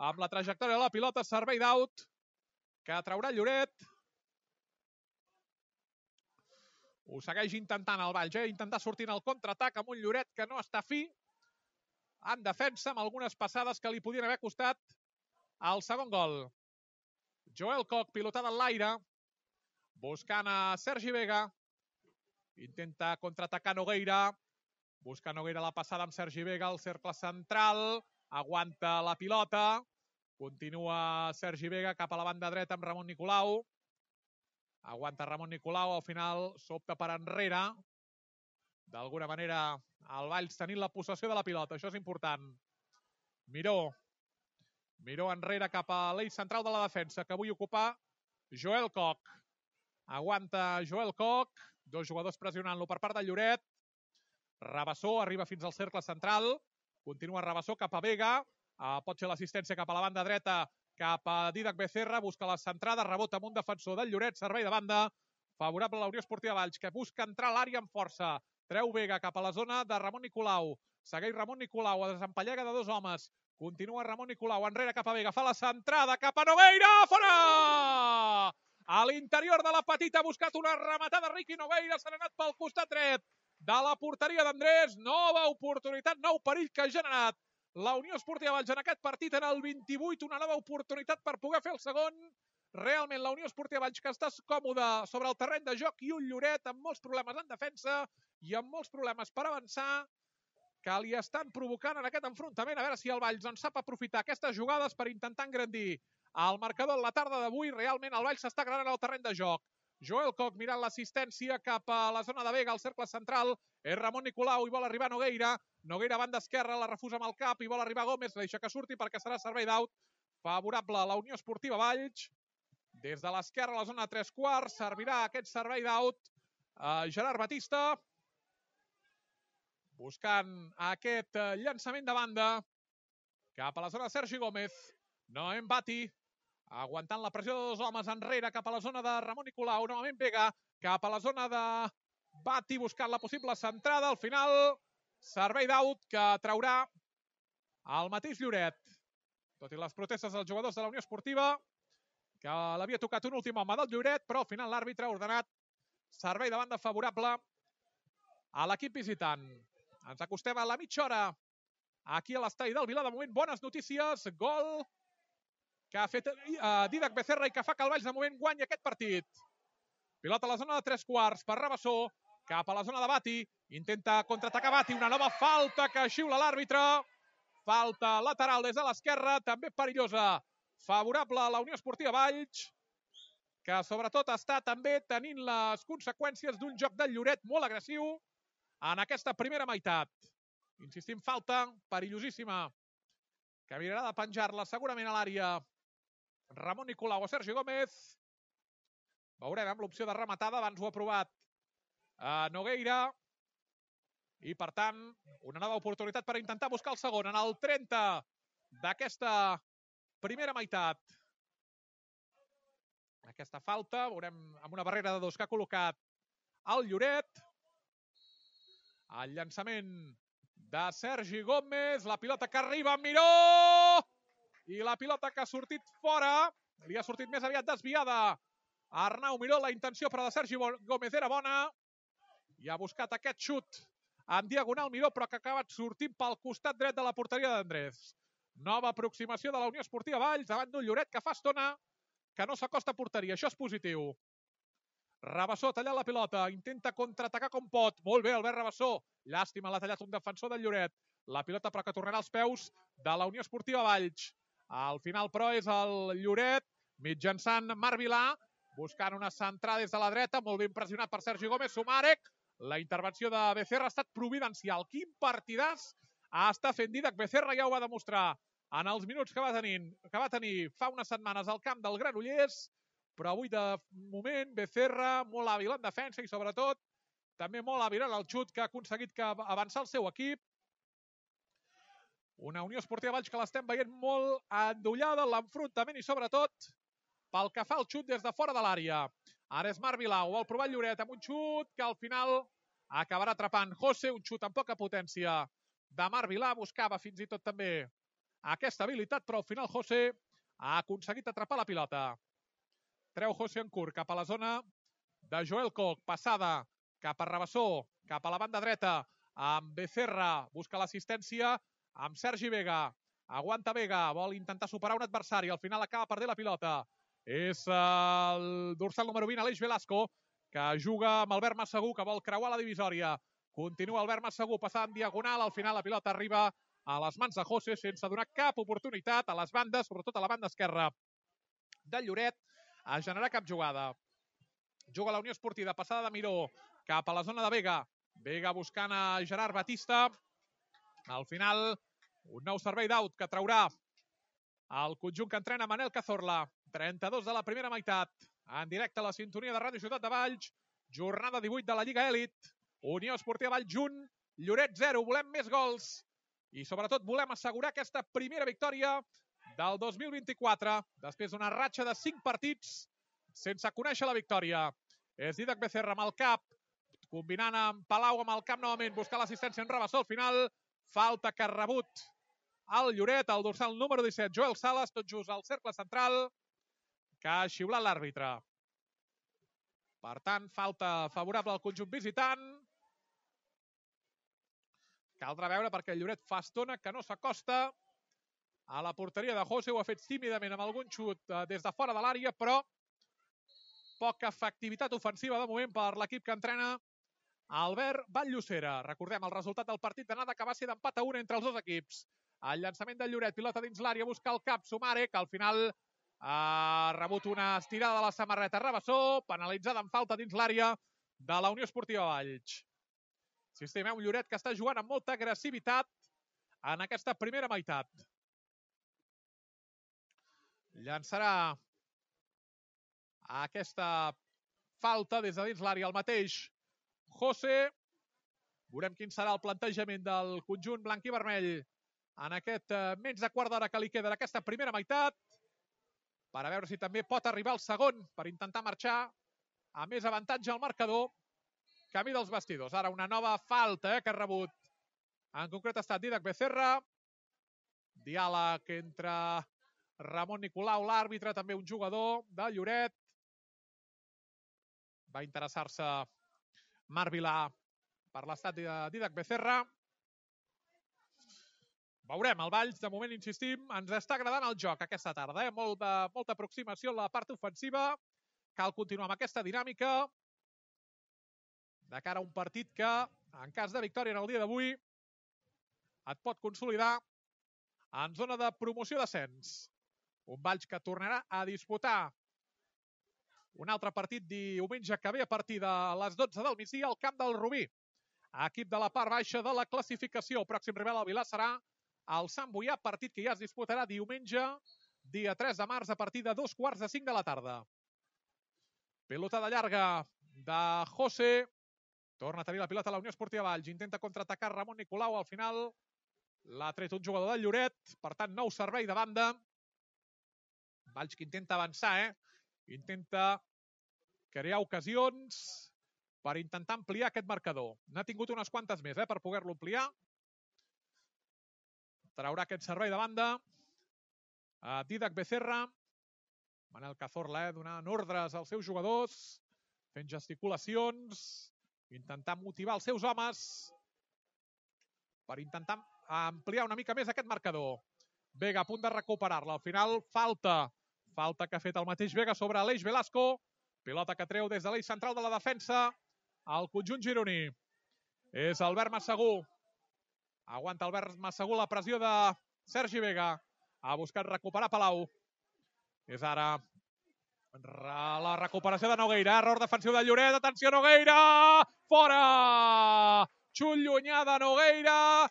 Amb la trajectòria de la pilota, servei d'out que traurà Lloret. Ho segueix intentant el Valls, intentar sortir en el contraatac amb un Lloret que no està fi en defensa, amb algunes passades que li podien haver costat el segon gol. Joel Koch, pilotada en l'aire, buscant a Sergi Vega. Intenta contraatacar Nogueira. Busca Nogueira la passada amb Sergi Vega, el cercle central. Aguanta la pilota. Continua Sergi Vega cap a la banda dreta amb Ramon Nicolau. Aguanta Ramon Nicolau, al final s'opta per enrere. D'alguna manera el Valls tenint la possessió de la pilota, això és important. Miró enrere cap a l'eix central de la defensa, que avui ocupa Joel Koch. Aguanta Joel Koch, dos jugadors pressionant-lo per part del Lloret. Rabassó arriba fins al cercle central, continua Rabassó cap a Vega, pot fer l'assistència cap a la banda dreta, cap a Dídac Becerra, busca la centrada, rebota amb un defensor del Lloret, servei de banda, favorable a la Unió Esportiva Valls, que busca entrar a l'àrea amb força. Treu Vega cap a la zona de Ramon Nicolau. Segueix Ramon Nicolau, a desempallega de dos homes. Continua Ramon Nicolau, enrere cap a Vega, fa la centrada cap a Nogueira, fora! A l'interior de la petita ha buscat una rematada Riqui Nogueira, s'ha anat pel costat dret de la porteria d'Andrés. Nova oportunitat, nou perill que ha generat la Unió Esportiva Valls en aquest partit en el 28, una nova oportunitat per poder fer el segon. Realment la Unió Esportiva Valls que està còmoda sobre el terreny de joc i un Lloret amb molts problemes en defensa i amb molts problemes per avançar que li estan provocant en aquest enfrontament. A veure si el Valls en sap aprofitar aquestes jugades per intentar engrandir el marcador en la tarda d'avui. Realment el Valls s'està agradant al terreny de joc. Joel Koch mirant l'assistència cap a la zona de Vega, al cercle central. És Ramon Nicolau i vol arribar Nogueira. Nogueira, banda esquerra, la refusa amb el cap i vol arribar Gómez, la deixa que surti perquè serà servei d'out favorable a la Unió Esportiva Valls. Des de l'esquerra a la zona de 3/4 servirà aquest servei d'out Gerard Batista, buscant aquest llançament de banda cap a la zona de Sergi Gómez. Noem Bati, aguantant la pressió de dos homes enrere cap a la zona de Ramon Nicolau. Novament Vega cap a la zona de Bati buscant la possible centrada. Al final, servei d'out que traurà el mateix Lloret. Tot i les protestes dels jugadors de la Unió Esportiva, que l'havia tocat un últim home del Lloret, però al final l'àrbitre ha ordenat servei de banda favorable a l'equip visitant. Ens acostem a la mitja hora aquí a l'estadi del Vilar. De moment, bones notícies. Gol que ha fet Dídac Becerra i que fa que el Valls de moment guanyi aquest partit. Pilota a la zona de 3/4 per Rabassó, cap a la zona de Bati. Intenta contraatacar Bati, una nova falta que xiula l'àrbitre. Falta lateral des de l'esquerra, també perillosa. Favorable a la Unió Esportiva Valls, que sobretot està també tenint les conseqüències d'un joc del Lloret molt agressiu en aquesta primera meitat. Insistim, falta perillosíssima, que mirarà de penjar-la segurament a l'àrea Ramon Nicolau o Sergi Gómez. Veurem amb l'opció de rematada, abans ho ha provat Nogueira. I, per tant, una nova oportunitat per intentar buscar el segon en el 30 d'aquesta primera meitat. Aquesta falta, veurem amb una barrera de dos que ha col·locat el Lloret. El llançament de Sergi Gómez, la pilota que arriba amb Miró! I la pilota que ha sortit fora, li ha sortit més aviat desviada a Arnau Miró. La intenció, però, de Sergi Gómez era bona. I ha buscat aquest xut en diagonal Miró, però que ha acabat sortint pel costat dret de la porteria d'Andrés. Nova aproximació de la Unió Esportiva Valls davant d'un Lloret que fa estona que no s'acosta a porteria. Això és positiu. Rabassó tallant la pilota, intenta contraatacar com pot. Molt bé, Albert Rabassó. Llàstima, l'ha tallat un defensor del Lloret. La pilota, però, que tornarà als peus de la Unió Esportiva Valls. Al final, però, és el Lloret, mitjançant Marc Vilà, buscant una centrada des de la dreta, molt ben pressionat per Sergi Gómez. Sumarek, la intervenció de Becerra ha estat providencial. Quin partidàs està fent Dídac Becerra, ja ho va demostrar en els minuts que va tenir fa unes setmanes al camp del Granollers, però avui, de moment, Becerra molt hàbil en defensa i, sobretot, també molt hàbil en el xut que ha aconseguit avançar el seu equip. Una Unió Esportiva Valls que l'estem veient molt endollada en l'enfrontament i, sobretot, pel que fa al xut des de fora de l'àrea. Ara és Marc Vilà, ho vol provar el Lloret amb un xut que al final acabarà atrapant José, un xut amb poca potència de Marc Vilà. Buscava fins i tot també aquesta habilitat, però al final José ha aconseguit atrapar la pilota. Treu José en curt cap a la zona de Joel Koch, passada cap a Rabassó, cap a la banda dreta, amb Becerra, busca l'assistència amb Sergi Vega. Aguanta Vega, vol intentar superar un adversari, al final acaba perdent la pilota. És el dorsal número 20, Aleix Velasco, que juga amb Albert Massagú, que vol creuar la divisòria. Continua Albert Massagú, passant en diagonal, al final la pilota arriba a les mans de José sense donar cap oportunitat a les bandes, sobretot a la banda esquerra del Lloret, a generar cap jugada. Juga la Unió Esportiva, passada de Miró cap a la zona de Vega. Vega buscant a Gerard Batista. Al final, un nou servei d'out que traurà el conjunt que entrena Manel Cazorla. 32 de la primera meitat. En directe a la sintonia de Ràdio Ciutat de Valls. Jornada 18 de la Lliga Elit. Unió Esportiva Valls 1, Lloret 0. Volem més gols i, sobretot, volem assegurar aquesta primera victòria del 2024, després d'una ratxa de 5 partits sense conèixer la victòria. És Dídac Becerra amb el cap, combinant amb Palau amb el camp novament, buscar l'assistència en Rabassó. Al final, falta que ha rebut el Lloret, el dorsal número 17, Joel Sales, tot just al cercle central, que ha xiulat l'àrbitre. Per tant, falta favorable al conjunt visitant. Caldrà veure, perquè el Lloret fa estona que no s'acosta a la porteria de José. Ho ha fet tímidament amb algun xut des de fora de l'àrea, però poca efectivitat ofensiva de moment per l'equip que entrena Albert Vall-Llosera. Recordem el resultat del partit d'anada, que va ser d'empat a 1 entre els dos equips. El llançament del Lloret, pilota dins l'àrea, busca el cap Sumarek, que al final ha rebut una estirada de la samarreta Rabassó, penalitzada en falta dins l'àrea de la Unió Esportiva Valls. Sistema, un Lloret que està jugant amb molta agressivitat en aquesta primera meitat. Llançarà aquesta falta des de dins l'àrea el mateix José. Veurem quin serà el plantejament del conjunt blanc i vermell en aquest menys de quart d'hora que li queda d'aquesta primera meitat, per a veure si també pot arribar al segon per intentar marxar a més avantatge al marcador. Camí dels vestidors. Ara una nova falta que ha rebut. En concret ha estat Dídac Becerra. Diàleg entre Ramon Nicolau, l'àrbitre, també un jugador de Lloret. Va interessar-se Marc Vilà per l'estat de Dídac Becerra. Veurem, el Valls, de moment insistim, ens està agradant el joc aquesta tarda. Molta aproximació en la part ofensiva. Cal continuar amb aquesta dinàmica de cara a un partit que, en cas de victòria en el dia d'avui, et pot consolidar en zona de promoció-descens. Un Valls que tornarà a disputar un altre partit diumenge que ve a partir de les 12 del migdia al camp del Rubí. Equip de la part baixa de la classificació. El pròxim rival al Vilà serà el Sant Boià, partit que ja es disputarà diumenge, dia 3 de març, a partir de 2:45 de la tarda. Pilotada llarga de José. Torna a tenir la pilota a la Unió Esportiva Valls. Intenta contraatacar Ramon Nicolau. Al final l'ha tret un jugador del Lloret. Per tant, nou servei de banda. Valls que intenta avançar, Intenta crear ocasions per intentar ampliar aquest marcador. N'ha tingut unes quantes més, per poder-lo ampliar. Traurà aquest servei de banda a Dídac Becerra. Manel Cazorla, donant ordres als seus jugadors, fent gesticulacions, intentant motivar els seus homes per intentar ampliar una mica més aquest marcador. Vega a punt de recuperar-la. Al final, falta que ha fet el mateix Vega sobre Aleix Velasco. Pilota que treu des de l'eix central de la defensa al conjunt gironí. És Albert Massagú. Aguanta Albert Massagú la pressió de Sergi Vega. Ha buscat recuperar Palau. És ara la recuperació de Nogueira. Error defensiu de Lloret. Atenció, Nogueira! Fora! Xut llunyà de Nogueira.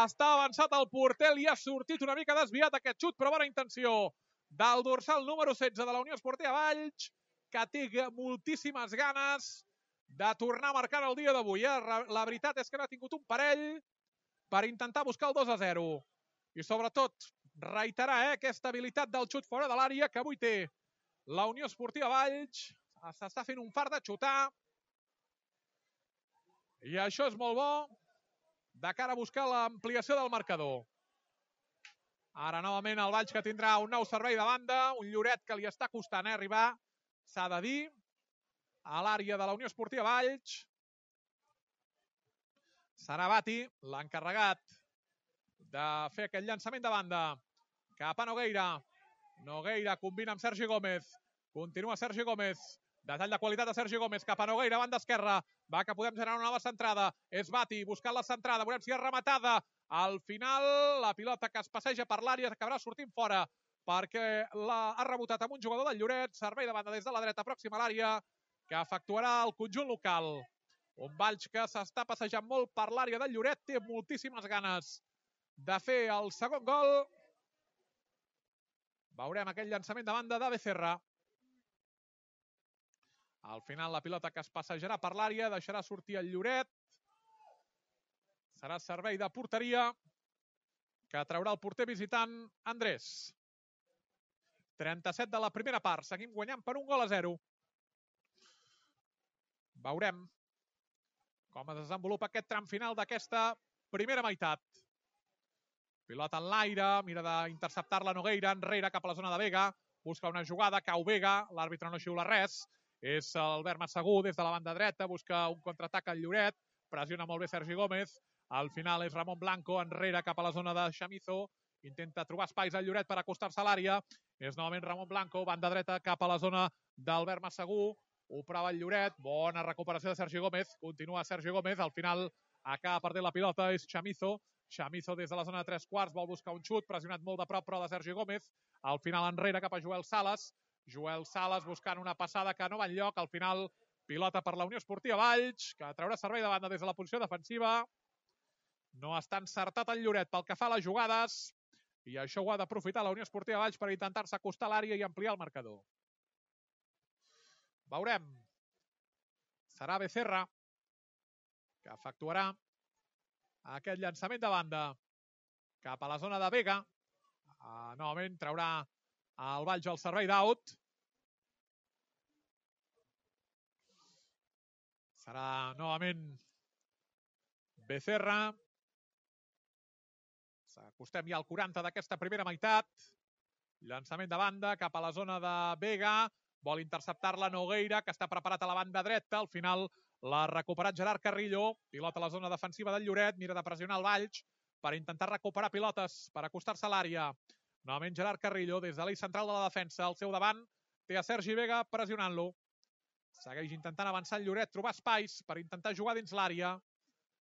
Està avançat el porter. Li ha sortit una mica desviat aquest xut, però bona intenció del dorsal número 16 de la Unió Esportiva Valls, que té moltíssimes ganes de tornar a marcar el dia d'avui. La veritat és que n'ha tingut un parell per intentar buscar el 2-0. I sobretot reiterar aquesta habilitat del xut fora de l'àrea que avui té la Unió Esportiva Valls. S'està fent un fart de xutar. I això és molt bo de cara a buscar l'ampliació del marcador. Ara novament el Valls que tindrà un nou servei de banda. Un Lloret que li està costant arribar, s'ha de dir, a l'àrea de la Unió Esportiva Valls. Serà Bati l'encarregat de fer aquest llançament de banda cap a Nogueira. Nogueira combina amb Sergi Gómez. Continua Sergi Gómez. Detall de qualitat de Sergi Gómez cap a Nogueira, banda esquerra. Va que podem generar una nova centrada. És Bati buscant la centrada. Veurem si és rematada. Al final, la pilota que es passeja per l'àrea acabarà sortint fora perquè ha rebotat amb un jugador del Lloret. Servei de banda des de la dreta, pròxima a l'àrea, que efectuarà el conjunt local. Un Valls que s'està passejant molt per l'àrea del Lloret. Té moltíssimes ganes de fer el segon gol. Veurem aquell llançament de banda de Becerra. Al final la pilota que es passejarà per l'àrea deixarà sortir el Lloret. Serà servei de porteria que traurà el porter visitant Andrés. 37 de la primera part. Seguim guanyant per 1-0. Veurem com es desenvolupa aquest tram final d'aquesta primera meitat. Pilota en l'aire, mira d'interceptar-la Nogueira, enrere cap a la zona de Vega. Busca una jugada, cau Vega, l'àrbitre no xiula res. És Albert Massagú des de la banda dreta, busca un contraatac al Lloret. Pressiona molt bé Sergi Gómez. Al final és Ramon Blanco, enrere cap a la zona de Chamizo. Intenta trobar espais al Lloret per acostar-se a l'àrea. És novament Ramon Blanco, banda dreta cap a la zona d'Albert Massagú. Ho prova el Lloret. Bona recuperació de Sergi Gómez. Continua Sergi Gómez. Al final acaba perdent la pilota. És Chamizo. Chamizo des de la zona de 3/4 vol buscar un xut. Pressionat molt de prop, però de Sergi Gómez. Al final enrere cap a Joel Sales. Joel Sales buscant una passada que no va enlloc. Al final Pilota per la Unió Esportiva Valls, que traurà servei de banda des de la posició defensiva. No està encertat el Lloret pel que fa a les jugades, i això ho ha d'aprofitar la Unió Esportiva Valls per intentar-se acostar a l'àrea i ampliar el marcador. Veurem. Serà Becerra que efectuarà aquest llançament de banda cap a la zona de Vega. Novament traurà el Valls al servei d'out. Serà novament Becerra. S'acostem ja al 40 d'aquesta primera meitat. Llançament de banda cap a la zona de Vega. Vol interceptar-la Nogueira, que està preparat a la banda dreta. Al final l'ha recuperat Gerard Carrillo. Pilota a la zona defensiva del Lloret. Mira de pressionar el Valls per intentar recuperar pilotes, per acostar-se a l'àrea. Novament Gerard Carrillo, des de l'eix central de la defensa. Al seu davant té a Sergi Vega pressionant-lo. Segueix intentant avançar el Lloret, trobar espais per intentar jugar dins l'àrea.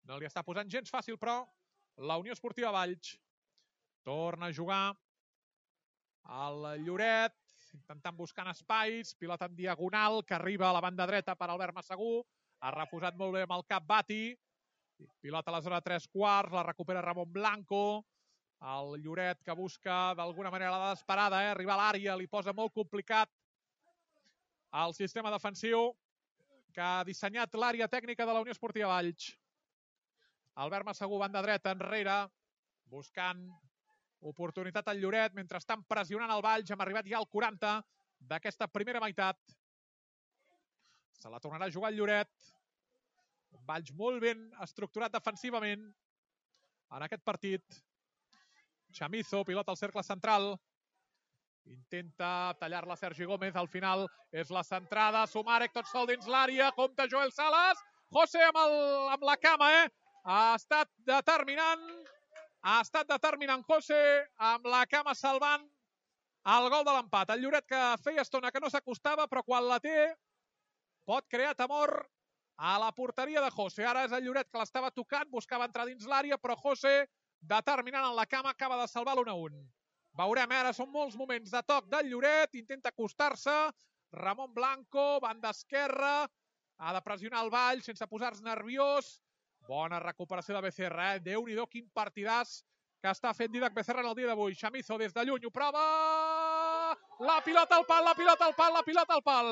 No li està posant gens fàcil, però la Unió Esportiva Valls torna a jugar el Lloret, intentant buscar espais, pilota en diagonal, que arriba a la banda dreta per Albert Massagú. Ha refusat molt bé amb el cap Bati. Pilota a la zona de 3/4, la recupera Ramon Blanco. El Lloret que busca d'alguna manera la desesperada, arribar a l'àrea, li posa molt complicat el sistema defensiu que ha dissenyat l'àrea tècnica de la Unió Esportiva Valls. Albert Massagú, banda dreta, enrere, buscant oportunitat al Lloret, mentre estan pressionant el Valls. Hem arribat ja al 40 d'aquesta primera meitat. Se la tornarà a jugar el Lloret. Un Valls molt ben estructurat defensivament en aquest partit. Chamizo, pilota al cercle central. Intenta tallar-la Sergi Gómez. Al final és la centrada. Sumarek tot sol dins l'àrea. Compte Joel Salas. José amb la cama, Ha estat determinant. Ha estat determinant José amb la cama salvant el gol de l'empat. El Lloret que feia estona que no s'acostava, però quan la té pot crear temor a la porteria de José. Ara és el Lloret que l'estava tocant, buscava entrar dins l'àrea, però José, determinant en la cama, acaba de salvar l'1-1. Veurem, ara són molts moments de toc del Lloret, intenta acostar-se, Ramon Blanco, banda esquerra, ha de pressionar el Valls sense posar-se nerviós. Bona recuperació de Becerra, Déu-n'hi-do, quin partidàs que està fent Dídac Becerra en el dia d'avui. Chamizo des de lluny, ho prova! La pilota al pal, la pilota al pal, la pilota al pal!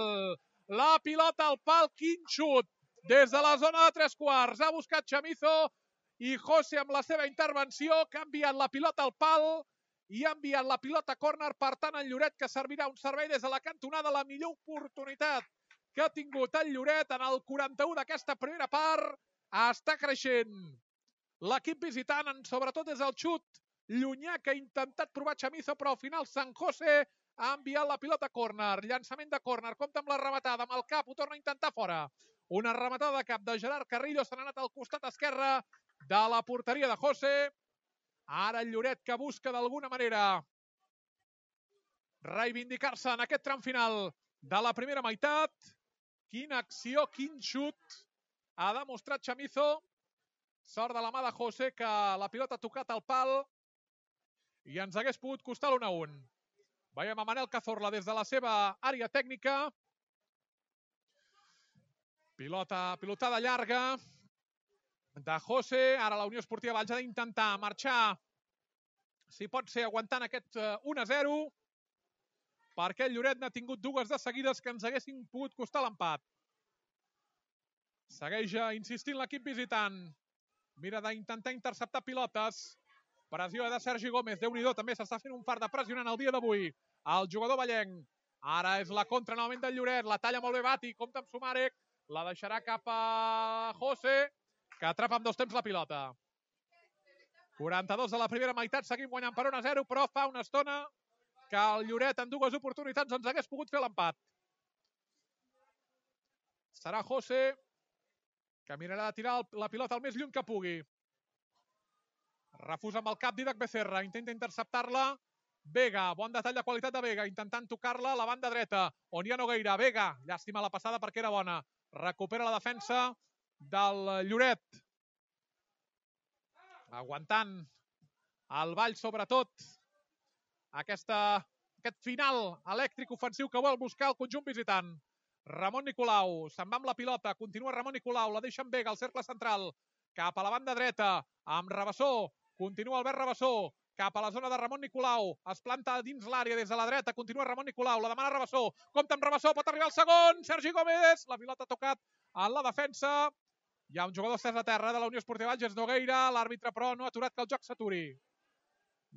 La pilota al pal, quin xut! Des de la zona de 3/4, ha buscat Chamizo i José amb la seva intervenció, que ha enviat la pilota al pal i ha enviat la pilota a córner. Per tant, el Lloret que servirà un servei des de la cantonada, la millor oportunitat que ha tingut el Lloret en el 41 d'aquesta primera part. Està creixent l'equip visitant, sobretot des del xut llunyà que ha intentat provar Chamizo, però al final San José ha enviat la pilota a córner. Llançament de córner, compta amb la rematada, amb el cap, ho torna a intentar fora. Una rematada de cap de Gerard Carrillo, se n'ha anat al costat esquerre de la porteria de José. Ara el Lloret que busca d'alguna manera reivindicar-se en aquest tram final de la primera meitat. Quina acció, quin xut ha demostrat Chamizo. Sort de la mà de José, que la pilota ha tocat al pal i ens hagués pogut costar l'1-1. Veiem a Manel Cazorla des de la seva àrea tècnica. Pilotada llarga de José. Ara la Unió Esportiva Valls ha d'intentar marxar, si pot ser, aguantant aquest 1-0, perquè el Lloret n'ha tingut dues de seguides que ens haguessin pogut costar l'empat. Segueix insistint l'equip visitant. Mira d'intentar interceptar pilotes. Pressió de Sergi Gómez. Déu-n'hi-do, també s'està fent un fart de pressionant el dia d'avui el jugador vallenc. Ara és la contra novament del Lloret. La talla molt bé Bati. Compta amb Sumarek. La deixarà cap a José, que atrapa amb dos temps la pilota. 42 de la primera meitat. Seguim guanyant per 1-0, però fa una estona que el Lloret en dues oportunitats ens hagués pogut fer l'empat. Serà José que mirarà de tirar la pilota el més lluny que pugui. Refusa amb el cap Dídac Becerra, intenta interceptar-la. Vega, bon detall de qualitat de Vega, intentant tocar-la a la banda dreta, on hi ha Nogueira. Vega, llàstima la passada perquè era bona. Recupera la defensa del Lloret. Aguantant el Valls, sobretot, aquest final elèctric ofensiu que vol buscar el conjunt visitant. Ramon Nicolau, se'n va amb la pilota, continua Ramon Nicolau, la deixa en Vega, al cercle central, cap a la banda dreta, amb Rabassó, continua Albert Rabassó, cap a la zona de Ramon Nicolau, es planta dins l'àrea des de la dreta, continua Ramon Nicolau, la demana Rabassó, compta amb Rabassó, pot arribar al segon, Sergi Gómez, la pilota ha tocat en la defensa, hi ha un jugador estès a terra de la Unió Esportiva Valls Nogueira, l'àrbitre però no ha aturat que el joc s'aturi.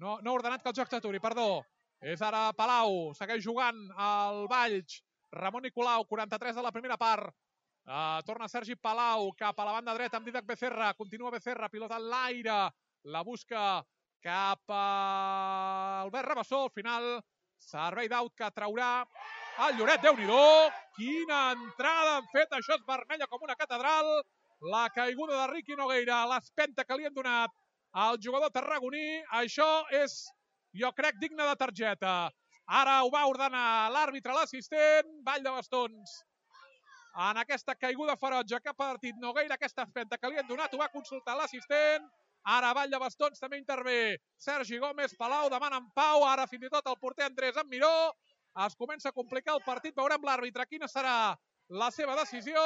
No ha ordenat que el joc s'aturi, perdó. És ara Palau, segueix jugant el Valls, Ramon Nicolau, 43 de la primera part. Torna Sergi Palau cap a la banda dreta amb Didac Becerra, continua Becerra, pilota en l'aire, la busca cap a Albert Rabassó, al final servei d'aut que traurà el Lloret. Déu-n'hi-do, quina entrada han fet, això és vermella com una catedral, la caiguda de Riqui Nogueira, l'espenta que li han donat al jugador tarragoní, això és, jo crec, digne de targeta. Ara ho va ordenar l'àrbitre, l'assistent, ball de bastons. En aquesta caiguda ferotge que ha partit Nogueira, aquesta espenta que li han donat, ho va consultar l'assistent. Ara ball de bastons, també intervé Sergi Gómez, Palau demana en pau, ara fins i tot el porter Andrés en Miró. Es comença a complicar el partit, veurem l'àrbitre quina serà la seva decisió.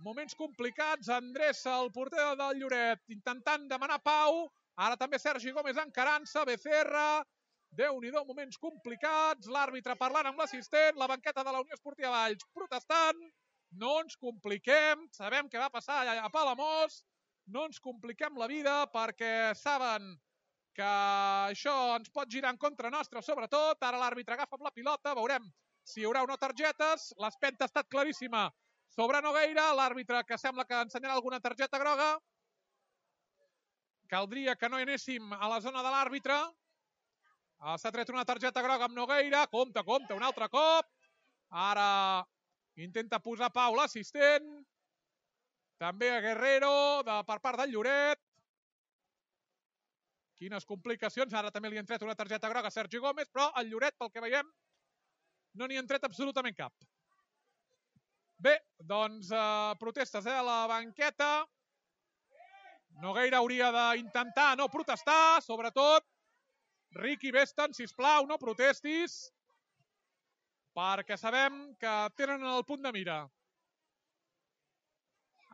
Moments complicats, Andrés, el porter del Lloret, intentant demanar pau. Ara també Sergi Gómez encarant-se, Becerra. Déu-n'hi-do, moments complicats. L'àrbitre parlant amb l'assistent, la banqueta de la Unió Esportiva Valls protestant. No ens compliquem, sabem què va passar a Palamós. No ens compliquem la vida perquè saben que això ens pot girar en contra nostra, sobretot. Ara l'àrbitre agafa amb la pilota, veurem si hi haurà o no targetes. L'espenta ha estat claríssima sobre Nogueira, l'àrbitre que sembla que ensenyarà alguna targeta groga. Caldria que no hi anéssim a la zona de l'àrbitre. S'ha tret una targeta groga amb Nogueira. Compte, un altre cop. Ara intenta posar pau l'assistent. També a Guerrero per part del Lloret. Quines complicacions. Ara també li han tret una targeta groga a Sergi Gómez, però el Lloret, pel que veiem, no n'hi han tret absolutament cap. Bé, doncs protestes a la banqueta. Nogueira hauria d'intentar no protestar, sobretot. Riqui Besten, sisplau, no protestis, perquè sabem que tenen el punt de mira.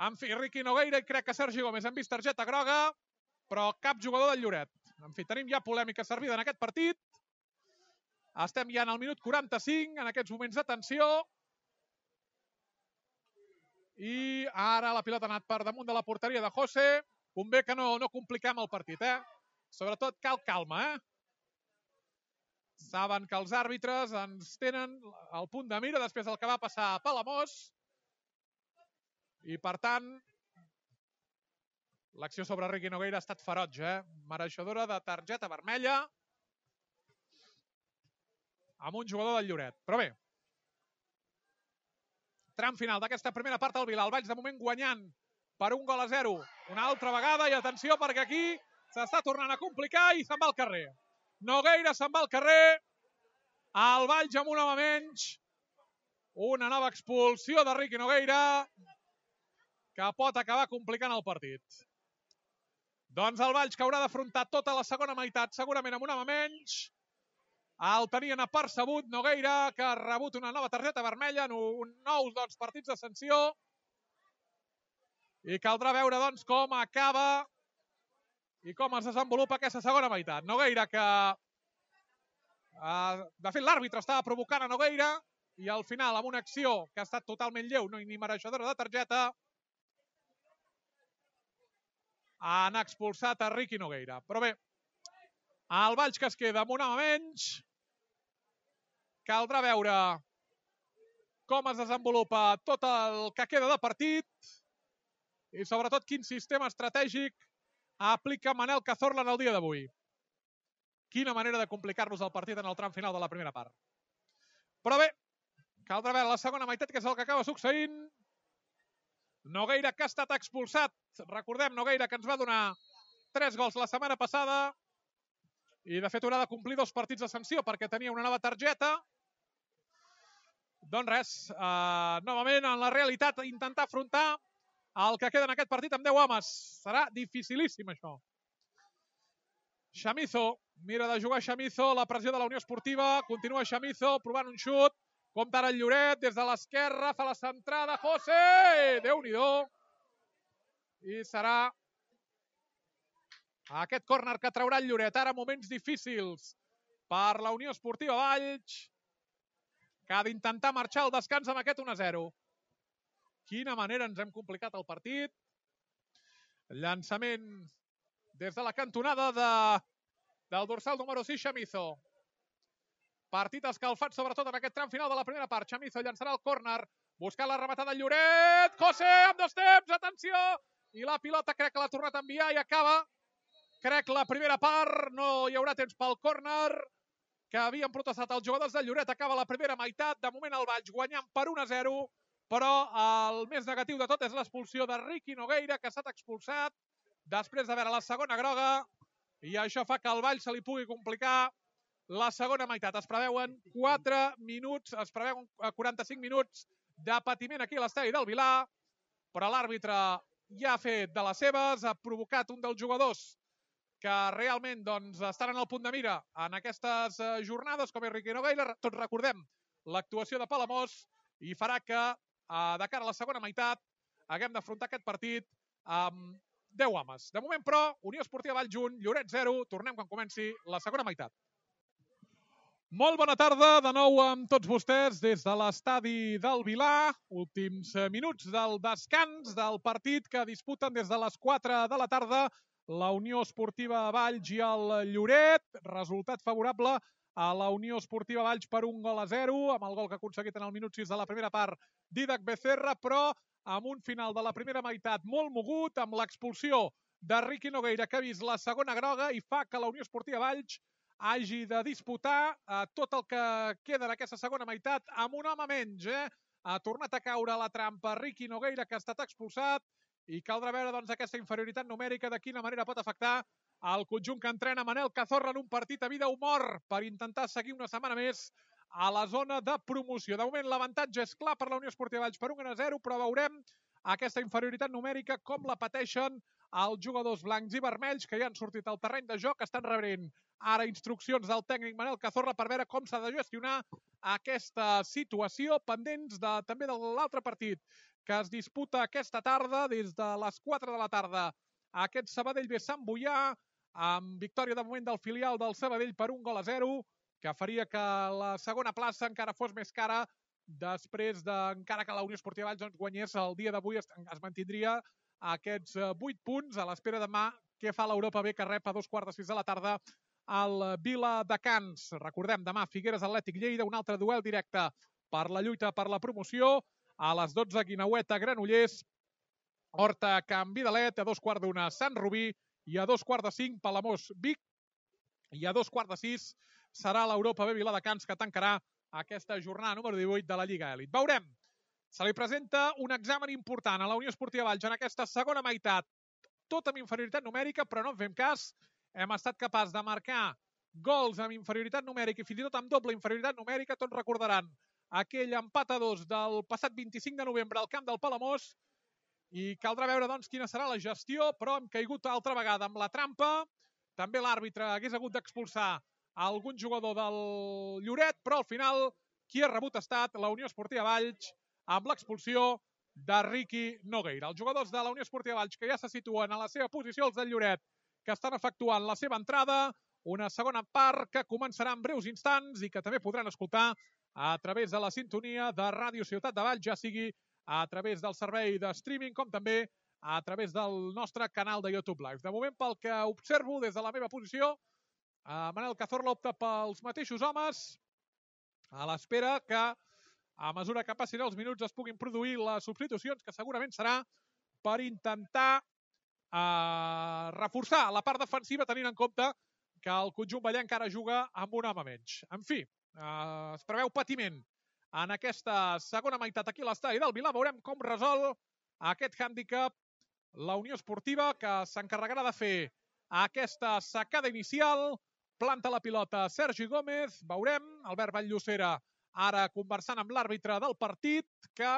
En fi, Riqui Nogueira i crec que Sergi Gómez han vist targeta groga, però cap jugador del Lloret. En fi, tenim ja polèmica servida en aquest partit. Estem ja en el minut 45, en aquests moments de tensió. I ara la pilota ha anat per damunt de la porteria de José. Convé que no compliquem el partit, Sobretot cal calma, Saben que els àrbitres ens tenen el punt de mira després del que va passar a Palamós. I, per tant, l'acció sobre Riqui Nogueira ha estat ferotge, Mereixedora de targeta vermella amb un jugador del Lloret. Però bé, tram final d'aquesta primera part al Vila. El Valls de moment guanyant per 1-0. Una altra vegada, i atenció perquè aquí s'està tornant a complicar i se'n va al carrer. Nogueira se'n va al carrer. El Valls amb un home menys. Una nova expulsió de Riqui Nogueira que pot acabar complicant el partit. Doncs el Valls que haurà d'afrontar tota la segona meitat, segurament amb un home menys. El tenien apercebut Nogueira, que ha rebut una nova targeta vermella en nous partits de sanció. I caldrà veure com acaba i com es desenvolupa aquesta segona meitat. Nogueira que, de fet, l'àrbitre estava provocant a Nogueira i al final, amb una acció que ha estat totalment lleu, ni mereixedora de targeta, han expulsat a Riqui Nogueira. Però bé, el Valls que es queda amb un home menys. Caldrà veure com es desenvolupa tot el que queda de partit i sobretot quin sistema estratègic aplica Manel Cazorla en el dia d'avui. Quina manera de complicar-nos el partit en el tram final de la primera part. Però bé, caldrà veure la segona meitat, que és el que acaba succeint. Nogueira que ha estat expulsat. Recordem, Nogueira que ens va donar 3 gols la setmana passada i de fet haurà de complir 2 partits de sanció perquè tenia una nova targeta. Doncs res, novament en la realitat intentar afrontar el que queda en aquest partit amb 10 homes. Serà dificilíssim això. Chamizo, mira de jugar Chamizo, la pressió de la Unió Esportiva, continua Chamizo provant un xut, Compte ara el Lloret, des de l'esquerra, fa la centrada, José! Déu-n'hi-do! I serà aquest córner que traurà el Lloret. Ara moments difícils per la Unió Esportiva Valls, que ha d'intentar marxar al descans amb aquest 1-0. Quina manera ens hem complicat el partit. Llançament des de la cantonada del dorsal número 6, Chamizo. Partit escalfat, sobretot en aquest tram final de la primera part. Chamizo llançarà el córner, buscant la rematada del Lloret. José, amb 2 temps, atenció! I la pilota crec que l'ha tornat a enviar i acaba. Crec la primera part, no hi haurà temps pel córner que havien protestat els jugadors del Lloret. Acaba la primera meitat, de moment el Valls guanyant per 1-0, però el més negatiu de tot és l'expulsió de Riqui Nogueira, que ha estat expulsat després de veure la segona groga, i això fa que al Valls se li pugui complicar la segona meitat. Es preveuen 4 minuts, es preveuen 45 minuts de patiment aquí a l'estadi del Vilar, però l'àrbitre ja ha fet de les seves, ha provocat un dels jugadors que realment estan en el punt de mira en aquestes jornades, com és Riqui Nogueira. Tots recordem l'actuació de Palamós, i farà que de cara a la segona meitat haguem d'afrontar aquest partit amb 10 homes. De moment, però, Unió Esportiva Valls 1, Lloret 0. Tornem quan comenci la segona meitat. Molt bona tarda de nou amb tots vostès des de l'estadi del Vilar. Últims minuts del descans del partit que disputen des de les 4 de la tarda la Unió Esportiva Valls i el Lloret. Resultat favorable a la Unió Esportiva Valls per 1-0, amb el gol que ha aconseguit en el minut 6 de la primera part Dídac Becerra, però amb un final de la primera meitat molt mogut, amb l'expulsió de Riqui Nogueira, que ha vist la segona groga i fa que la Unió Esportiva Valls hagi de disputar tot el que queda d'aquesta segona meitat amb un home menys. Ha tornat a caure a la trampa Riqui Nogueira, que ha estat expulsat, i caldrà veure aquesta inferioritat numèrica de quina manera pot afectar el conjunt que entrena Manel Cazorla en un partit a vida o mort per intentar seguir una setmana més a la zona de promoció. De moment l'avantatge és clar per la Unió Esportiva Valls per 1-0, però veurem aquesta inferioritat numèrica com la pateixen els jugadors blancs i vermells, que ja han sortit al terreny de joc, estan rebent ara instruccions del tècnic Manel Cazorla per veure com s'ha de gestionar aquesta situació, pendents també de l'altre partit que es disputa aquesta tarda, des de les 4 de la tarda, aquest Sabadell B Sant Boià, amb victòria de moment del filial del Sabadell per 1-0, que faria que la segona plaça encara fos més cara després encara que la Unió Esportiva Valls guanyés el dia d'avui, es mantindria aquests 8 punts a l'espera demà què fa l'Europa B, que rep a 2:45 de la tarda al Viladecans. Recordem, demà Figueres Atlètic Lleida, un altre duel directe per la lluita per la promoció. A les 12 Guineueta Granollers, Horta Can Vidalet, a 2:15 Sant Rubí, i a 2:45 Palamós Vic, i a 2:15 serà l'Europa B Viladecans, que tancarà aquesta jornada número 18 de la Lliga Elit. Veurem. Se li presenta un examen important a la Unió Esportiva Valls en aquesta segona meitat, tot amb inferioritat numèrica, però no en fem cas. Hem estat capaços de marcar gols amb inferioritat numèrica i fins i tot amb doble inferioritat numèrica. Tots recordaran aquell empat a 2 del passat 25 de novembre al camp del Palamós, i caldrà veure quina serà la gestió, però hem caigut altra vegada amb la trampa. També l'àrbitre hagués hagut d'expulsar algun jugador del Lloret, però al final qui ha rebut ha estat la Unió Esportiva Valls amb l'expulsió de Riqui Nogueira. Els jugadors de la Unió Esportiva Valls, que ja se situen a la seva posició, els del Lloret, que estan efectuant la seva entrada, una segona part que començarà en breus instants i que també podran escoltar a través de la sintonia de Ràdio Ciutat de Valls, ja sigui a través del servei de streaming com també a través del nostre canal de YouTube Live. De moment, pel que observo des de la meva posició, Manel Cazorla opta pels mateixos homes, a l'espera que a mesura que passin els minuts es puguin produir les substitucions, que segurament serà per intentar reforçar la part defensiva, tenint en compte que el conjunt ballenc encara juga amb un home menys. En fi, es preveu patiment en aquesta segona meitat aquí a l'estadi del Vilar. Veurem com resol aquest hàndicap la Unió Esportiva, que s'encarregarà de fer aquesta sacada inicial. Planta la pilota Sergi Gómez. Veurem Albert Vall-Llosera ara conversant amb l'àrbitre del partit, que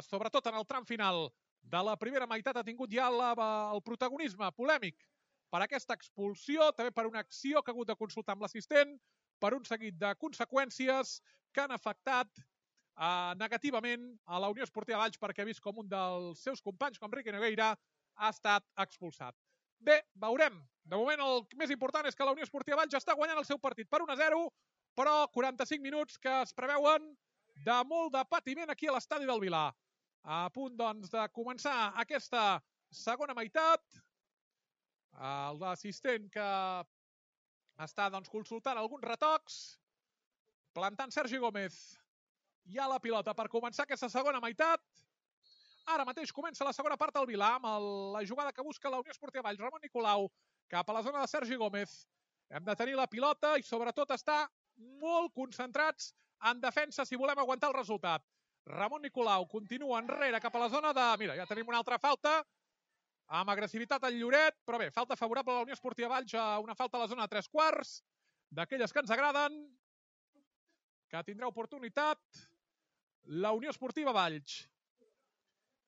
sobretot en el tram final de la primera meitat ha tingut ja el protagonisme polèmic per aquesta expulsió, també per una acció que ha hagut de consultar amb l'assistent, per un seguit de conseqüències que han afectat negativament a la Unió Esportiva Valls, perquè ha vist com un dels seus companys, com Riqui Nogueira, ha estat expulsat. Bé, veurem. De moment el més important és que la Unió Esportiva Valls està guanyant el seu partit per 1-0, però 45 minuts que es preveuen de molt de patiment aquí a l'estadi del Vilar. A punt, doncs, de començar aquesta segona meitat. L'assistent que està, doncs, consultant alguns retocs, plantant Sergi Gómez. Hi ha la pilota per començar aquesta segona meitat. Ara mateix comença la segona part del Vilar amb la jugada que busca la Unió Esportiva Valls. Ramon Nicolau cap a la zona de Sergi Gómez. Hem de tenir la pilota i sobretot estar molt concentrats en defensa si volem aguantar el resultat. Ramon Nicolau continua enrere cap a la zona de... Mira, ja tenim una altra falta amb agressivitat al Lloret, però bé, falta favorable a la Unió Esportiva Valls, una falta a la zona de 3/4, d'aquelles que ens agraden, que tindrà oportunitat la Unió Esportiva Valls.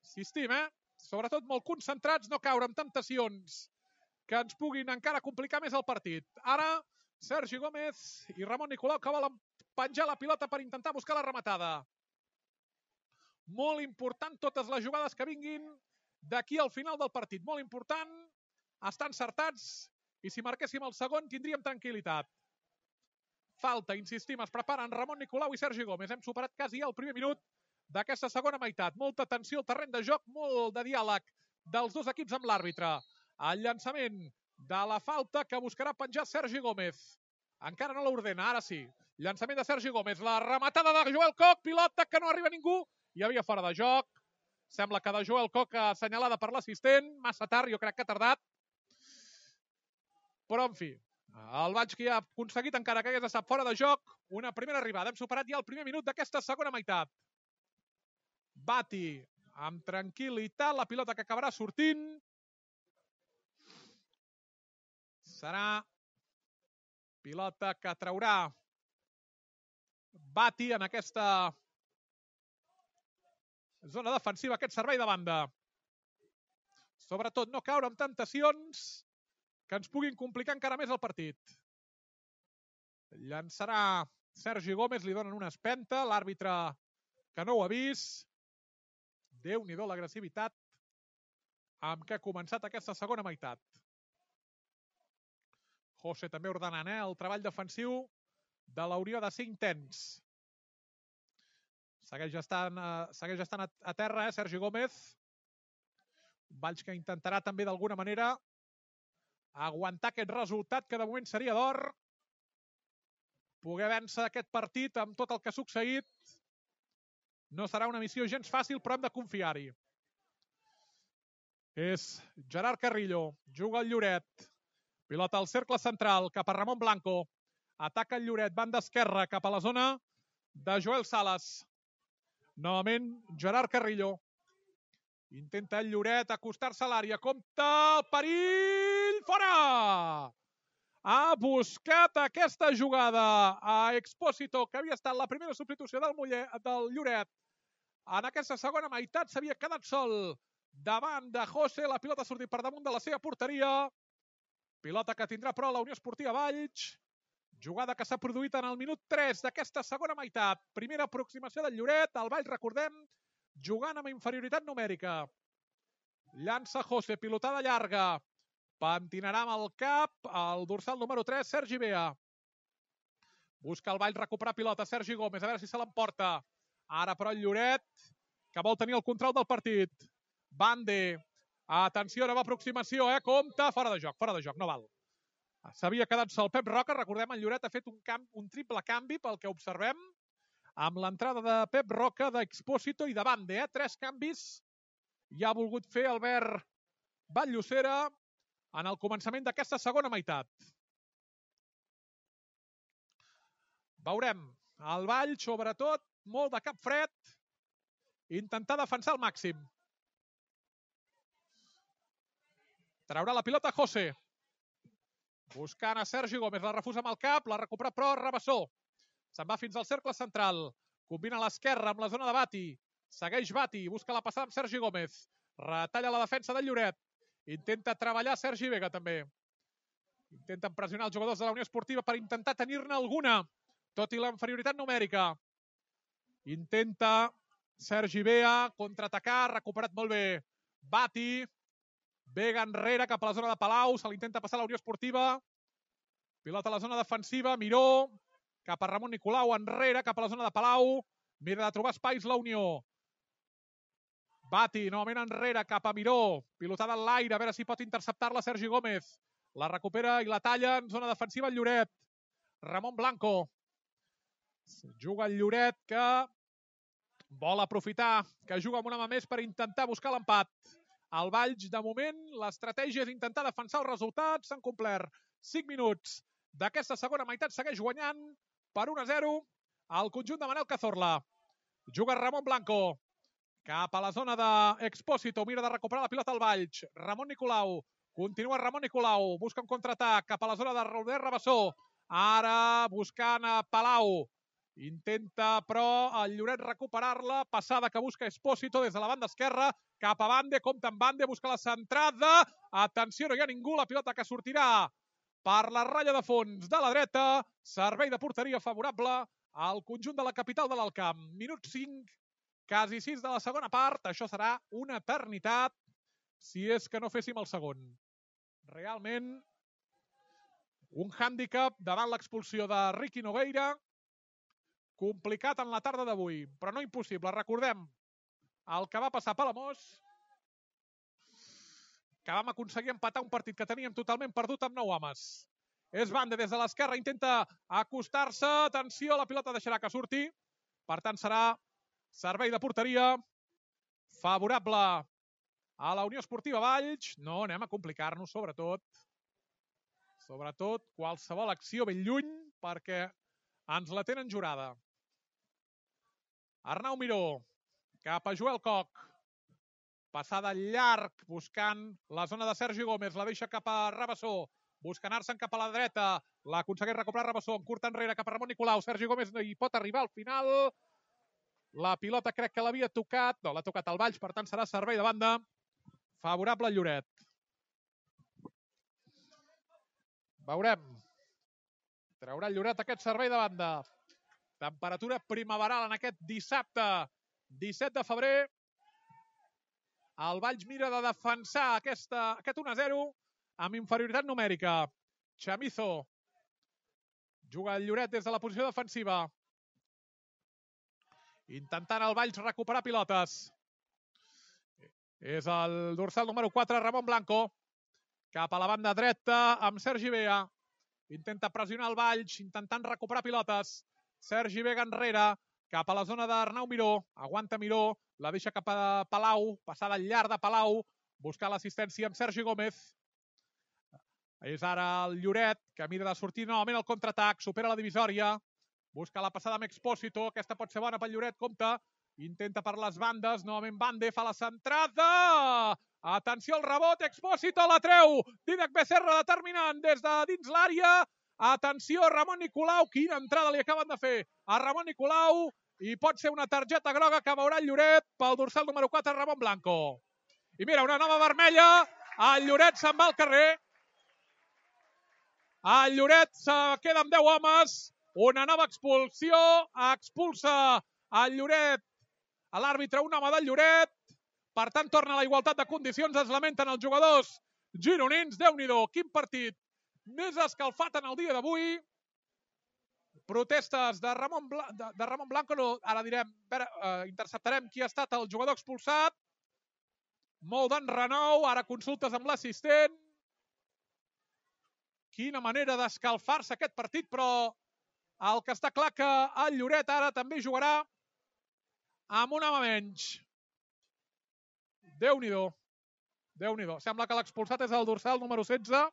Insistim, sobretot molt concentrats, no caure en temptacions que ens puguin encara complicar més el partit. Ara, Sergi Gómez i Ramon Nicolau que volen penjar la pilota per intentar buscar la rematada. Molt important totes les jugades que vinguin d'aquí al final del partit. Molt important estar encertats i si marquéssim el segon tindríem tranquil·litat. Falta, insistim, es preparen Ramon Nicolau i Sergi Gómez. Hem superat quasi el primer minut d'aquesta segona meitat. Molta tensió al terreny de joc, molt de diàleg dels dos equips amb l'àrbitre. El llançament de la falta que buscarà penjar Sergi Gómez. Encara no l'ordena, ara sí. Llançament de Sergi Gómez. La rematada de Joel Koch, pilota que no arriba ningú. Hi havia fora de joc. Sembla que de Joel Koch assenyalada per l'assistent. Massa tard, jo crec que ha tardat. Però, en fi, el Valls que ja ha aconseguit, encara que hagués estat fora de joc, una primera arribada. Hem superat ja el primer minut d'aquesta segona meitat. Bati amb tranquil·litat la pilota que acabarà sortint. Serà pilota que traurà Bati en aquesta zona defensiva, aquest servei de banda. Sobretot no caure en temptacions que ens puguin complicar encara més el partit. Llançarà Sergi Gómez, li donen una espenta, l'àrbitre que no ho ha vist. Déu-n'hi-do l'agressivitat amb què ha començat aquesta segona meitat. José també ordenant el treball defensiu de la Unió de ser intens. Segueix estant a terra, Sergi Gómez. Valls que intentarà també d'alguna manera aguantar aquest resultat que de moment seria d'or. Poder vèncer aquest partit amb tot el que ha succeït. No serà una missió gens fàcil, però hem de confiar-hi. És Gerard Carrillo, juga el Lloret. Pilota al cercle central, cap a Ramon Blanco. Ataca el Lloret, banda esquerra, cap a la zona de Joel Salas. Novament, Gerard Carrillo. Intenta el Lloret acostar-se a l'àrea. Compte el perill! Fora! Ha buscat aquesta jugada a Expósito, que havia estat la primera substitució del Lloret. En aquesta segona meitat s'havia quedat sol davant de José. La pilota ha sortit per damunt de la seva porteria. Pilota que tindrà però la Unió Esportiva Valls. Jugada que s'ha produït en el minut 3 d'aquesta segona meitat. Primera aproximació del Lloret. El Valls, recordem, jugant amb inferioritat numèrica. Llança José, pilotada llarga. Pentinarà amb el cap el dorsal número 3, Sergi Bea. Busca el Valls recuperar pilota, Sergi Gómez, a veure si se l'emporta. Ara però el Lloret, que vol tenir el control del partit. Bande. Atenció, nova aproximació, compte, fora de joc, no val. S'havia quedat sol Pep Roca, recordem, el Lloret ha fet un triple canvi pel que observem, amb l'entrada de Pep Roca, d'Expósito i de Bande, 3 canvis. Ja ha volgut fer Albert Batllocera en el començament d'aquesta segona meitat. Veurem el Valls, sobretot, molt de cap fred, intentar defensar al màxim. Traurà la pilota José. Buscant a Sergi Gómez, la refusa amb el cap, la recupera però Rabassó. Se'n va fins al cercle central. Combina a l'esquerra amb la zona de Bati. Segueix Bati, busca la passada amb Sergi Gómez. Retalla la defensa del Lloret. Intenta treballar Sergi Vega també. Intenten pressionar els jugadors de la Unió Esportiva per intentar tenir-ne alguna, tot i la inferioritat numèrica. Intenta Sergi Bea contraatacar, recuperat molt bé Bati. Vega enrere cap a la zona de Palau, se l'intenta passar a la Unió Esportiva. Pilota a la zona defensiva, Miró, cap a Ramon Nicolau, enrere, cap a la zona de Palau. Mira de trobar espais la Unió. Bati, novament enrere, cap a Miró. Pilotada en l'aire, a veure si pot interceptar-la Sergi Gómez. La recupera i la talla en zona defensiva el Lloret. Ramon Blanco. Juga el Lloret que vol aprofitar, que juga amb una mà més per intentar buscar l'empat. Al Valls, de moment, l'estratègia és intentar defensar els resultats. S'han complert 5 minuts d'aquesta segona meitat. Segueix guanyant per 1-0 al conjunt de Manel Cazorla. Juga Ramon Blanco. Cap a la zona d'Expósito. Mira de recuperar la pilota al Valls. Ramon Nicolau. Continua Ramon Nicolau. Busca un contraatac cap a la zona de Robert Rabassó. Ara buscant a Palau. Intenta, però, el Lloret recuperar-la. Passada que busca Expósito des de la banda esquerra. Cap a Bande, compta amb Bande, busca la centrada. Atenció, no hi ha ningú. La pilota que sortirà per la ratlla de fons de la dreta. Servei de porteria favorable al conjunt de la capital de l'Alcamp. Minut 5, quasi 6 de la segona part. Això serà una eternitat si és que no féssim el segon. Realment, un hàndicap davant l'expulsió de Ricky Nogueira. Complicat en la tarda d'avui, però no impossible. Recordem el que va passar a Palamós, que vam aconseguir empatar un partit que teníem totalment perdut amb 9 homes. És Bande des de l'esquerra, intenta acostar-se. Atenció, la pilota deixarà que surti. Per tant, serà servei de porteria favorable a la Unió Esportiva Valls. No anem a complicar-nos, sobretot. Sobretot qualsevol acció ben lluny, perquè ens la tenen jurada. Arnau Miró, cap a Joel Coc. Passada llarg, buscant la zona de Sergi Gómez. La deixa cap a Rabassó. Busca anar-se'n cap a la dreta. L'aconsegueix recuperar Rabassó. En curt enrere cap a Ramon Nicolau. Sergi Gómez no hi pot arribar al final. La pilota crec que l'havia tocat. No, l'ha tocat al Valls, per tant serà servei de banda favorable al Lloret. Veurem. Traurà el Lloret aquest servei de banda. Temperatura primaveral en aquest dissabte 17 de febrer. El Valls mira de defensar aquest 1-0 amb inferioritat numèrica. Chamizo. Juga el Lloret des de la posició defensiva. Intentant el Valls recuperar pilotes. És el dorsal número 4, Ramon Blanco. Cap a la banda dreta amb Sergi Bea. Intenta pressionar el Valls, intentant recuperar pilotes. Sergi Vega enrere, cap a la zona d'Arnau Miró. Aguanta Miró, la deixa cap a Palau. Passada al llarg de Palau. Buscar l'assistència amb Sergi Gómez. És ara el Lloret, que mira de sortir novament al contraatac. Supera la divisòria. Busca la passada amb Expósito. Aquesta pot ser bona pel Lloret, compta. Intenta per les bandes. Novament Bande fa la centrada. Atenció al rebot. Expósito la treu. Dídac Becerra determinant des de dins l'àrea. Atenció, Ramon Nicolau. Quina entrada li acaben de fer a Ramon Nicolau. I pot ser una targeta groga que veurà el Lloret pel dorsal número 4, Ramon Blanco. I mira, una nova vermella. El Lloret se'n va al carrer. El Lloret se queda amb 10 homes. Una nova expulsió. Expulsa el Lloret a l'àrbitre, un home del Lloret. Per tant, torna a la igualtat de condicions. Es lamenten els jugadors gironins. Déu-n'hi-do, quin partit més escalfat en el dia d'avui. Protestes de Ramon Blanco. No, ara direm, interceptarem qui ha estat el jugador expulsat. Molt d'enrenou. Ara consultes amb l'assistent. Quina manera d'escalfar-se aquest partit, però el que està clar que el Lloret ara també jugarà amb un home menys. Déu-n'hi-do. Déu-n'hi-do. Sembla que l'expulsat és el dorsal número 16.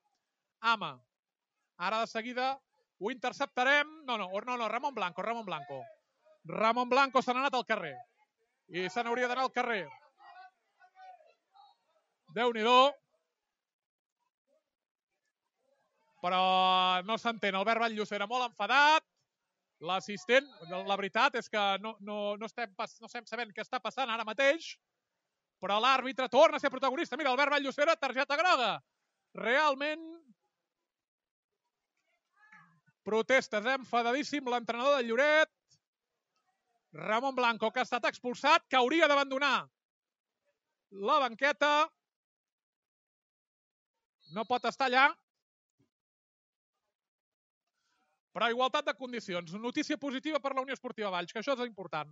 Ama. Ara de seguida ho interceptarem. No, Ramon Blanco. Ramon Blanco se n'ha anat al carrer. I se n'hauria d'anar al carrer. Déu-n'hi-do. Però no s'entén. Albert Vall-Llosera molt enfadat. L'assistent, la veritat és que no estem sabent què està passant ara mateix. Però l'àrbitre torna a ser protagonista. Mira, Albert Vall-Llosera, targeta groga. Realment protestes, enfadadíssim l'entrenador del Lloret, Ramon Blanco, que ha estat expulsat, que hauria d'abandonar la banqueta. No pot estar allà. Però igualtat de condicions. Notícia positiva per la Unió Esportiva Valls, que això és important.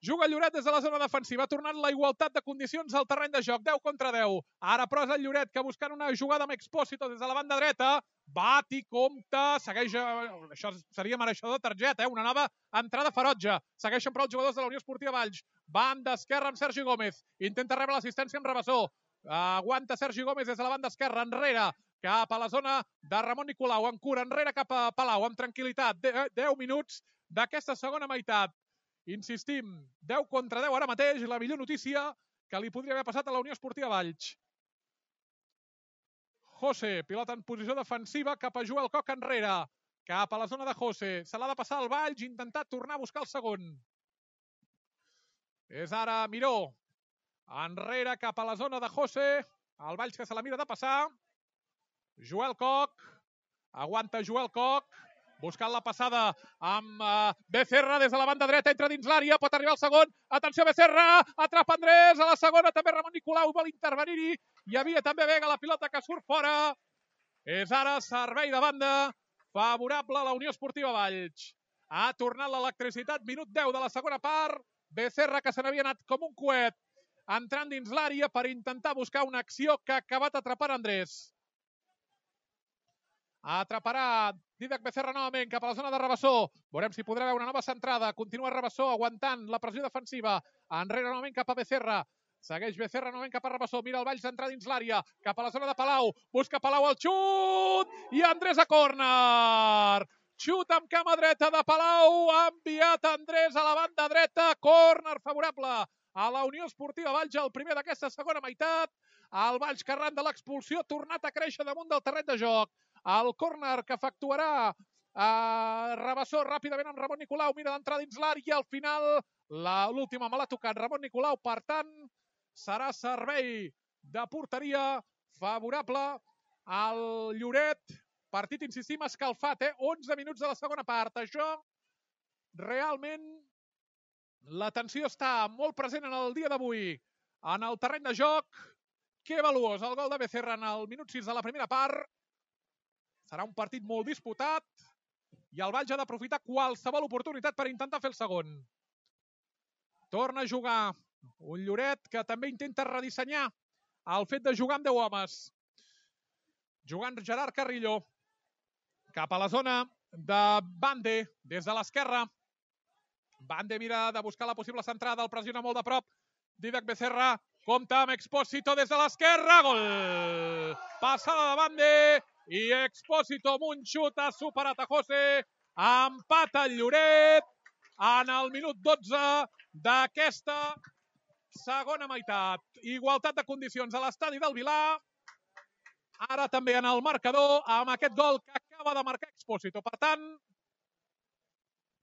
Juga el Lloret des de la zona defensiva, ha tornat la igualtat de condicions al terreny de joc, 10 contra 10. Ara però és el Lloret que buscant una jugada amb Expósito des de la banda dreta, bat i compta, segueix, això seria mereixedor de targeta, una nova entrada ferotge. Segueixen però els jugadors de la Unió Esportiva Valls. Banda esquerra amb Sergi Gómez, intenta rebre l'assistència amb Rabassó. Aguanta Sergi Gómez des de la banda esquerra, enrere, cap a la zona de Ramon Nicolau, en cura, enrere cap a Palau, amb tranquil·litat. 10 minuts d'aquesta segona meitat. Insistim, 10 contra 10 ara mateix, la millor notícia que li podria haver passat a la Unió Esportiva Valls. José, pilota en posició defensiva, cap a Joel Coc enrere, cap a la zona de José. Se l'ha de passar al Valls, intentar tornar a buscar el segon. És ara Miró, enrere cap a la zona de José, el Valls que se la mira de passar. Joel Coc, aguanta Joel Coc, buscant la passada amb Becerra des de la banda dreta, entra dins l'àrea, pot arribar al segon, atenció Becerra, atrapa Andrés, a la segona també Ramon Nicolau vol intervenir-hi, hi havia també Vega, la pilota que surt fora, és ara servei de banda favorable a la Unió Esportiva Valls. Ha tornat l'electricitat, minut 10 de la segona part, Becerra que se n'havia anat com un coet, entrant dins l'àrea per intentar buscar una acció que ha acabat atrapant Andrés. Atraparà Dídac Becerra novament cap a la zona de Rabassó. Veurem si podrà veure una nova centrada. Continua Rabassó aguantant la pressió defensiva. Enrere novament cap a Becerra. Segueix Becerra novament cap a Rabassó. Mira el Valls d'entrar dins l'àrea. Cap a la zona de Palau. Busca Palau el xut. I Andrés a córner. Xut amb cama dreta de Palau. Ha enviat Andrés a la banda dreta. Córner favorable a la Unió Esportiva Valls. El primer d'aquesta segona meitat. El Valls que arran de l'expulsió ha tornat a créixer damunt del terreny de joc. El córner que efectuarà Rabassó ràpidament amb Ramon Nicolau, mira d'entrar dins l'àrea i al final l'última me l'ha tocat Ramon Nicolau, per tant serà servei de porteria favorable al Lloret. Partit, insistim, escalfat, 11 minuts de la segona part. Això realment la tensió està molt present en el dia d'avui en el terreny de joc. Que valuós el gol de Becerra en el minut 6 de la primera part. Serà un partit molt disputat i el Valls ha d'aprofitar qualsevol oportunitat per intentar fer el segon. Torna a jugar un Lloret que també intenta redissenyar el fet de jugar amb 10 homes. Jugant Gerard Carrillo cap a la zona de Bande des de l'esquerra. Bande mira de buscar la possible centrada, el pressiona molt de prop. Dídac Becerra compta amb Expósito des de l'esquerra. Gol! Passada de Bande. I Expósito amb un xut ha superat a José. Empata el Lloret en el minut 12 d'aquesta segona meitat. Igualtat de condicions a l'estadi del Vilar. Ara també en el marcador amb aquest gol que acaba de marcar Expósito. Per tant,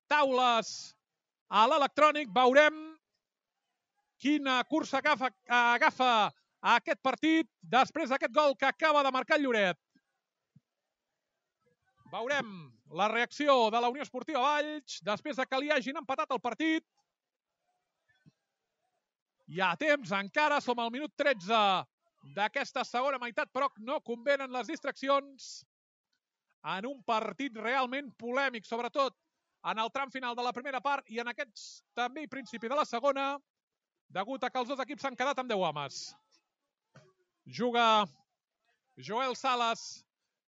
taules a l'electrònic. Veurem quina cursa agafa aquest partit després d'aquest gol que acaba de marcar el Lloret. Veurem la reacció de la Unió Esportiva Valls després que li hagin empatat el partit. Hi ha temps encara, som al minut 13 d'aquesta segona meitat, però no convenen les distraccions en un partit realment polèmic, sobretot en el tram final de la primera part i en aquests també principi de la segona, degut a que els dos equips s'han quedat amb 10 homes. Juga Joel Salas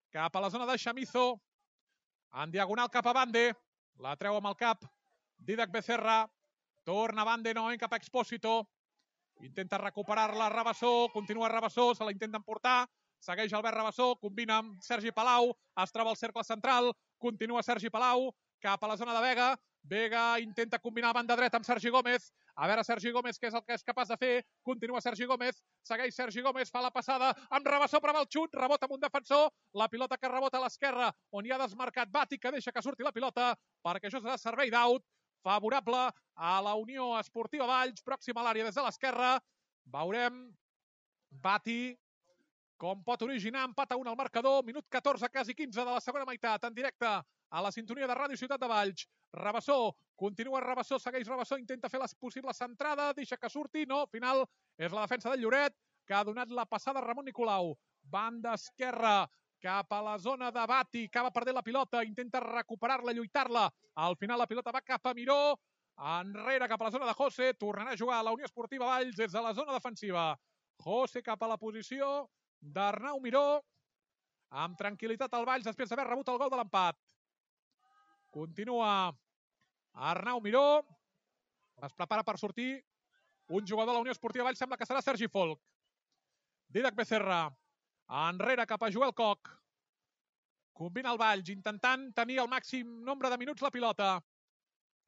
cap a la zona de Chamizo, en diagonal cap a Bande, la treu amb el cap Dídac Becerra, torna Bande novament cap a Expósito, intenta recuperar-la Rabassó, continua Rabassó, se la intenta emportar, segueix Albert Rabassó, combina amb Sergi Palau, es troba al cercle central, continua Sergi Palau, cap a la zona de Vega, Vega intenta combinar a banda dreta amb Sergi Gómez, a veure Sergi Gómez què és el que és capaç de fer, continua Sergi Gómez, segueix Sergi Gómez, fa la passada amb Rabassó, prova el xut, rebota amb un defensor, la pilota que rebota a l'esquerra, on hi ha desmarcat Bati, que deixa que surti la pilota, perquè això serà servei d'out, favorable a la Unió Esportiva Valls, pròxima a l'àrea des de l'esquerra, veurem Bati, com pot originar empat a 1 al marcador, minut 14, quasi 15 de la segona meitat, en directe a la sintonia de Ràdio Ciutat de Valls. Rabassó, continua Rabassó, segueix Rabassó, intenta fer la possible centrada, deixa que surti, no, final és la defensa del Lloret, que ha donat la passada a Ramon Nicolau. Banda esquerra, cap a la zona de Bati, acaba perdent la pilota, intenta recuperar-la, lluitar-la. Al final la pilota va cap a Miró, enrere cap a la zona de José, tornarà a jugar a la Unió Esportiva Valls des de la zona defensiva. José cap a la posició d'Arnau Miró, amb tranquil·litat al Valls després d'haver rebut el gol de l'empat. Continua Arnau Miró, es prepara per sortir un jugador de la Unió Esportiva Valls, sembla que serà Sergi Folk. Dídac Becerra, enrere cap a Joel Koch. Combina el Valls, intentant tenir el màxim nombre de minuts la pilota.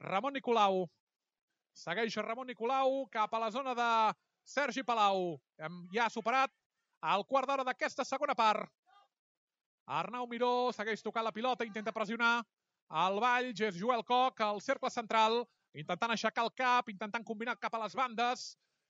Ramon Nicolau. Segueix Ramon Nicolau cap a la zona de Sergi Palau. Ja ha superat el quart d'hora d'aquesta segona part. Arnau Miró segueix tocant la pilota, intenta pressionar el Valls, és Joel Koch al cercle central, intentant aixecar el cap, intentant combinar cap a les bandes.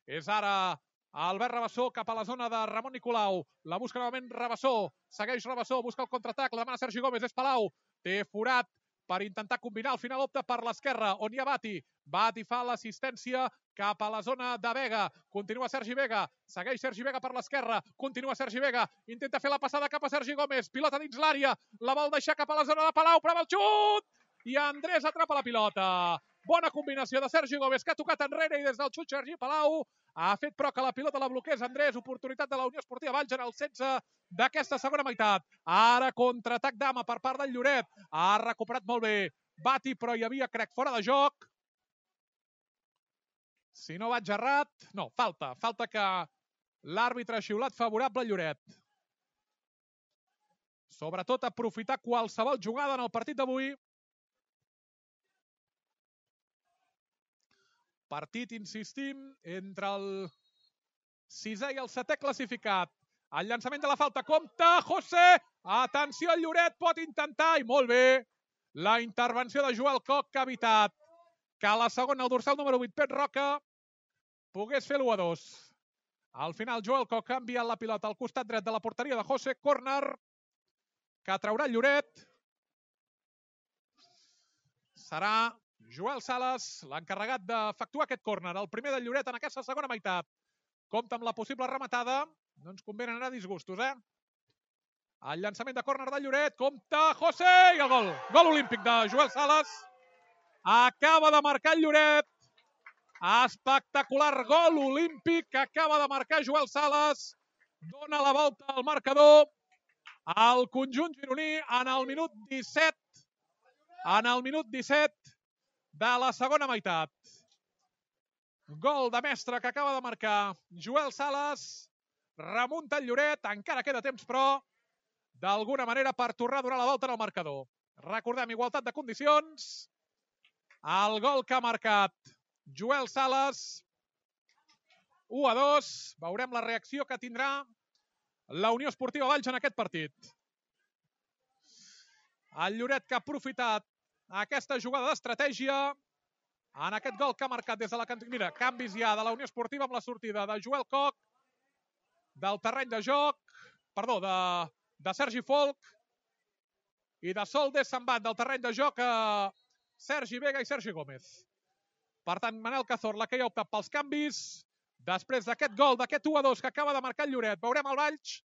És ara Albert Rabassó cap a la zona de Ramon Nicolau. La busca novament Rabassó, segueix Rabassó, busca el contraatac, la demana Sergi Gómez, és Palau. Té forat per intentar combinar, al final opta per l'esquerra, on hi ha Bati. Bati fa l'assistència cap a la zona de Vega. Continua Sergi Vega, segueix Sergi Vega per l'esquerra, continua Sergi Vega, intenta fer la passada cap a Sergi Gómez, pilota dins l'àrea, la vol deixar cap a la zona de Palau, prova el xut! I Andrés atrapa la pilota. Bona combinació de Sergi Gómez, que ha tocat enrere i des del xut Sergi Palau ha fet però que la pilota la bloqués Andrés. Oportunitat de la Unió Esportiva Valls en el 16 d'aquesta segona meitat. Ara contraatac d'Ama per part del Lloret. Ha recuperat molt bé Bati, però hi havia, crec, fora de joc. Si no vaig errat... No, falta. Falta que l'àrbitre ha xiulat favorable al Lloret. Sobretot aprofitar qualsevol jugada en el partit d'avui. Partit, insistim, entre el 6è i el 7è classificat. El llançament de la falta, compte, José! Atenció, el Lloret pot intentar, i molt bé, la intervenció de Joel Koch, que ha evitat que a la segona, el dorsal número 8, Pep Roca, pogués fer l'1-2. Al final, Joel Koch ha enviat la pilota al costat dret de la porteria de José, córner, que traurà el Lloret. Serà Joel Sales, l'encarregat d'efectuar aquest córner, el primer del Lloret en aquesta segona meitat. Compte amb la possible rematada, no ens convenen anar a disgustos, El llançament de córner del Lloret, compte, José, i el gol. Gol olímpic de Joel Sales. Acaba de marcar el Lloret. Espectacular gol olímpic que acaba de marcar Joel Sales. Dona la volta al marcador al conjunt gironí en el minut 17. En el minut 17 de la segona meitat. Gol de mestre que acaba de marcar Joel Sales. Remunta el Lloret, encara queda temps, però d'alguna manera per tornar a donar la volta en el marcador. Recordem, igualtat de condicions. El gol que ha marcat Joel Sales. 1-2. Veurem la reacció que tindrà la Unió Esportiva Valls en aquest partit. El Lloret que ha aprofitat aquesta jugada d'estratègia en aquest gol que ha marcat des de la cantonada. Mira, canvis ja de la Unió Esportiva amb la sortida de Joel Koch del terreny de joc, perdó, de Sergi Folk, i de Solde se'n van del terreny de joc a Sergi Vega i Sergi Gómez. Per tant, Manel Cazorla, que ja ha optat pels canvis, després d'aquest gol, d'aquest 1-2 que acaba de marcar el Lloret. Veurem el Valls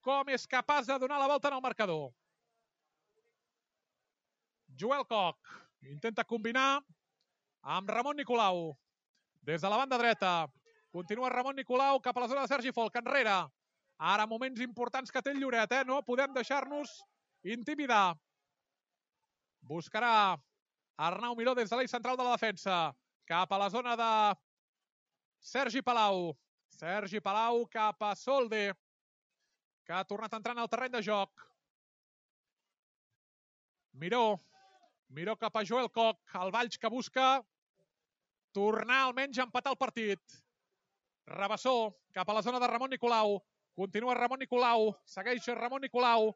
com és capaç de donar la volta en el marcador. Joel Koch intenta combinar amb Ramon Nicolau. Des de la banda dreta continua Ramon Nicolau cap a la zona de Sergi Folk, enrere. Ara moments importants que té el Lloret, no podem deixar-nos intimidar. Buscarà Arnau Miró des de l'eix central de la defensa, cap a la zona de Sergi Palau. Sergi Palau cap a Solde, que ha tornat a entrar en el terreny de joc. Miró cap a Joel Koch, el Valls que busca tornar almenys a empatar el partit. Rabassó cap a la zona de Ramon Nicolau. Continua Ramon Nicolau, segueix Ramon Nicolau.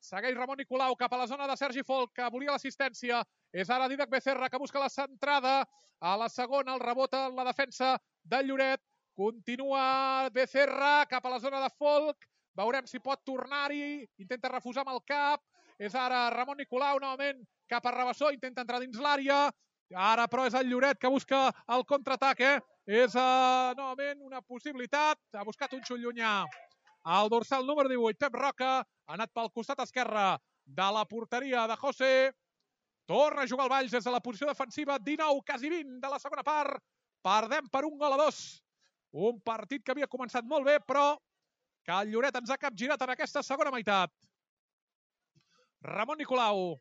Segueix Ramon Nicolau cap a la zona de Sergi Folk, que volia l'assistència. És ara Dídac Becerra, que busca la centrada. A la segona, el rebota en la defensa del Lloret. Continua Becerra cap a la zona de Folk. Veurem si pot tornar-hi. Intenta refusar amb el cap. És ara Ramon Nicolau, novament cap a Rabassó. Intenta entrar dins l'àrea. Ara, però, és el Lloret que busca el contraatac, És novament una possibilitat. Ha buscat un xut llunyà. El dorsal número 18, Pep Roca, ha anat pel costat esquerre de la porteria de José. Torna a jugar el Valls des de la posició defensiva. 19, quasi 20 de la segona part. Perdem per 1-2. Un partit que havia començat molt bé, però que el Lloret ens ha capgirat en aquesta segona meitat. Ramon Nicolau,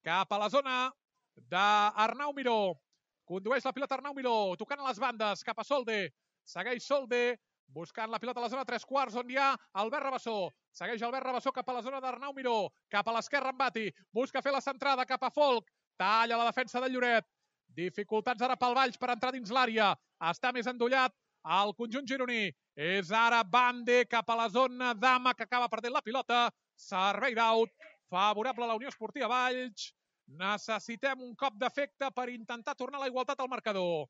cap a la zona d'Arnau Miró. Condueix la pilota Arnau Miró, tocant a les bandes, cap a Solde. Segueix Solde, buscant la pilota a la zona 3/4, on hi ha Albert Rabassó. Segueix Albert Rabassó cap a la zona d'Arnau Miró. Cap a l'esquerra en Bati. Busca fer la centrada cap a Folk. Talla la defensa del Lloret. Dificultats ara pel Valls per entrar dins l'àrea. Està més endollat el conjunt gironí. És ara Bande cap a la zona d'Ama, que acaba perdent la pilota. Servei d'out favorable a la Unió Esportiva Valls. Necessitem un cop d'efecte per intentar tornar la igualtat al marcador.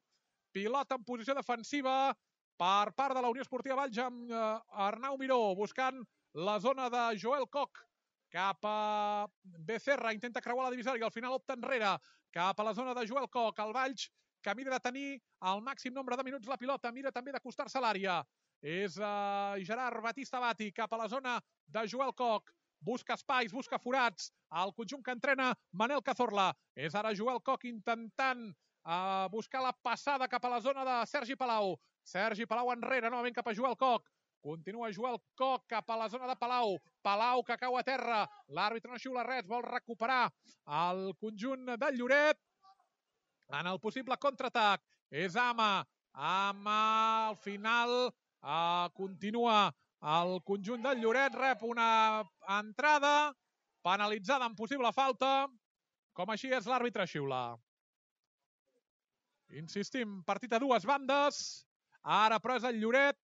Pilota en posició defensiva per part de la Unió Esportiva Valls amb Arnau Miró buscant la zona de Joel Koch cap a Becerra. Intenta creuar la divisòria i al final opta enrere cap a la zona de Joel Koch. El Valls que mira de tenir el màxim nombre de minuts la pilota, mira també d'acostar-se a l'àrea. És Gerard Batista Bati cap a la zona de Joel Koch. Busca espais, busca forats. El conjunt que entrena Manel Cazorla. És ara Joel Koch intentant buscar la passada cap a la zona de Sergi Palau. Sergi Palau enrere, novament cap a Joel Koch. Continua Joel Koch cap a la zona de Palau. Palau que cau a terra. L'àrbitre no xiula res, vol recuperar el conjunt del Lloret en el possible contraatac. És Ama. Ama al final continua el conjunt del Lloret, rep una entrada penalitzada en possible falta. Com així és, l'àrbitre xiula. Insistim, partit a dues bandes. Ara, però, és el Lloret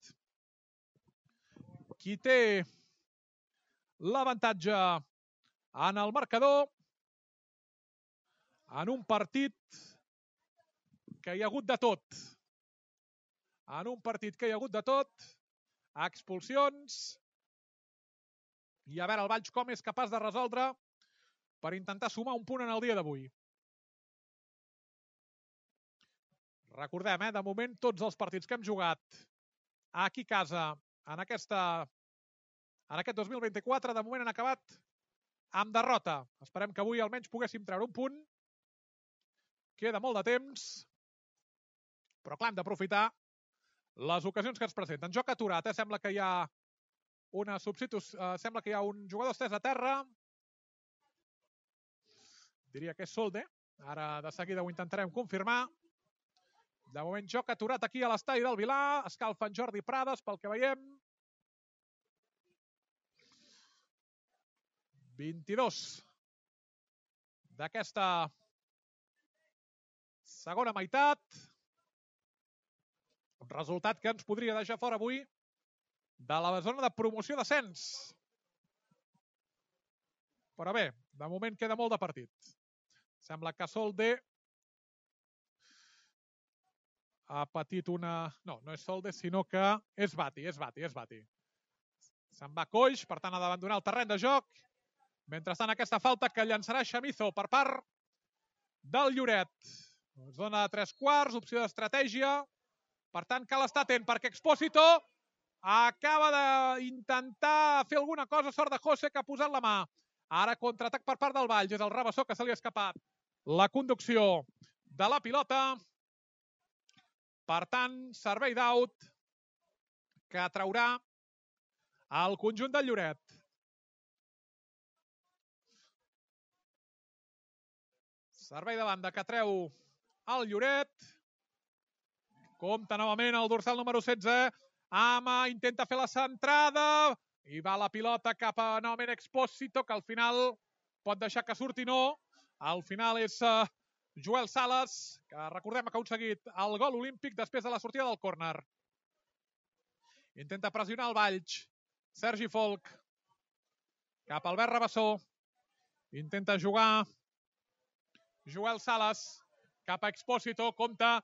qui té l'avantatge en el marcador en un partit que hi ha hagut de tot. En un partit que hi ha hagut de tot, expulsions, i a veure el Valls com és capaç de resoldre per intentar sumar un punt en el dia d'avui. Recordem, de moment, tots els partits que hem jugat aquí a casa en aquest 2024, de moment han acabat amb derrota. Esperem que avui almenys poguéssim treure un punt. Queda molt de temps, però clar, hem d'aprofitar les ocasions que ens presenten. Joc aturat, sembla que hi ha una substitució, sembla que hi ha un jugador estès a terra. Diria que és Solde. Ara de seguida ho intentarem confirmar. De moment, joc aturat aquí a l'estadi del Vilar. Escalfa en Jordi Prades, pel que veiem. 22 d'aquesta segona meitat. Un resultat que ens podria deixar fora avui de la zona de promoció d'ascens. Però bé, de moment queda molt de partit. Sembla que Solde ha patit una... No és Solde, sinó que és Bati. Se'n va coix, per tant ha d'abandonar el terreny de joc. Mentrestant, aquesta falta que llançarà Chamizo per part del Lloret. Zona de 3/4, opció d'estratègia. Per tant, cal estar atent perquè Expósito acaba d'intentar fer alguna cosa. Sort de José, que ha posat la mà. Ara contraatac per part del Valls. És el Rabassó que se li ha escapat la conducció de la pilota. Per tant, servei d'out que traurà el conjunt del Lloret. Servei de banda que treu el Lloret. Compta novament el dorsal número 16. Ama intenta fer la centrada. I va la pilota cap a novament Expósito, que al final pot deixar que surti no. Al final és Joel Sales, que recordem que ha aconseguit el gol olímpic després de la sortida del córner. Intenta pressionar el Valls. Sergi Folk. Cap a Albert Rabassó. Intenta jugar Joel Sales cap a Expósito. Compta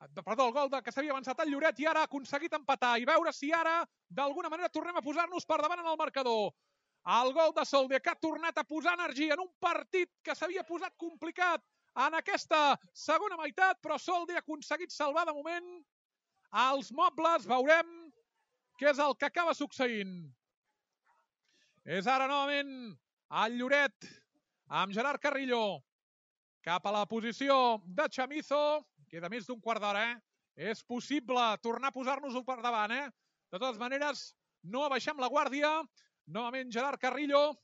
Perdó, el gol que s'havia avançat el Lloret i ara ha aconseguit empatar i veure si ara d'alguna manera tornem a posar-nos per davant en el marcador. El gol de Solde, que ha tornat a posar energia en un partit que s'havia posat complicat en aquesta segona meitat, però Solde ha aconseguit salvar de moment els mobles. Veurem què és el que acaba succeint. És ara novament el Lloret amb Gerard Carrillo cap a la posició de Chamizo. Queda més d'un quart d'hora, És possible tornar a posar-nos-ho per davant, De totes maneres, no abaixem la guàrdia. Novament Gerard Carrillo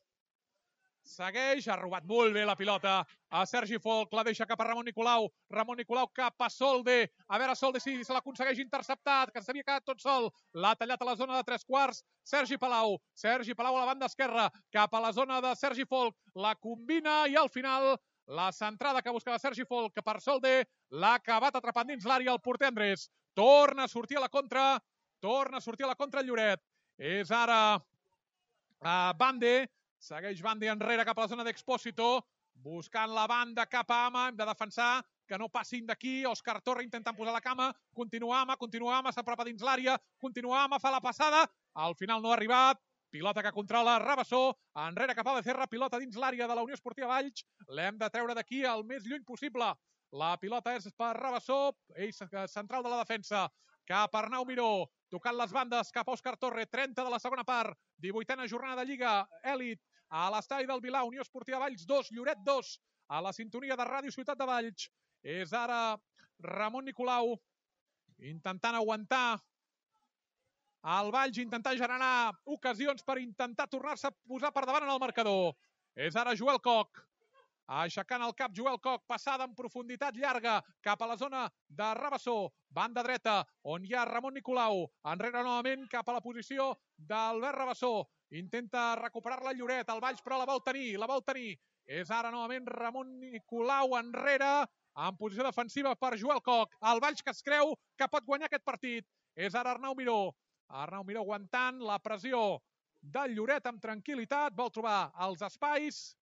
segueix, ha robat molt bé la pilota a Sergi Folk, la deixa cap a Ramon Nicolau. Ramon Nicolau cap a Solde. A veure Solde si se l'aconsegueix interceptat, que s'havia quedat tot sol. L'ha tallat a la zona de 3/4. Sergi Palau. Sergi Palau a la banda esquerra, cap a la zona de Sergi Folk. La combina i al final la centrada que buscava Sergi Folk per Solde l'ha acabat atrapant dins l'àrea el porter Andrés. Torna a sortir a la contra. El Lloret. És ara Bande. Segueix Bande enrere cap a la zona d'Expósito. Buscant la banda cap a Ama. Hem de defensar que no passin d'aquí. Òscar Torre intentant posar la cama. Continua Ama, s'apropa dins l'àrea. Continua Ama, fa la passada. Al final no ha arribat. Pilota que controla Rabassó. Enrere cap a Becerra. Pilota dins l'àrea de la Unió Esportiva Valls. L'hem de treure d'aquí el més lluny possible. La pilota és per Rabassó. Ell central de la defensa. Cap a Arnau Miró. Tocant les bandes cap a Òscar Torre. 30 de la segona part. 18a jornada de Lliga Elit. A l'estadi del Vilà, Unió Esportiva Valls 2, Lloret 2. A la sintonia de Ràdio Ciutat de Valls. És ara Ramon Nicolau intentant aguantar el Valls, intentar generar ocasions per intentar tornar-se a posar per davant en el marcador. És ara Joel Coc. Aixecant el cap Joel Coc, passada en profunditat llarga cap a la zona de Rabassó, banda dreta, on hi ha Ramon Nicolau, enrere novament cap a la posició d'Albert Rabassó, intenta recuperar-la Lloret, el Valls però la vol tenir, és ara novament Ramon Nicolau enrere, en posició defensiva per Joel Coc, el Valls que es creu que pot guanyar aquest partit, és ara Arnau Miró aguantant la pressió del Lloret amb tranquil·litat, vol trobar els espais.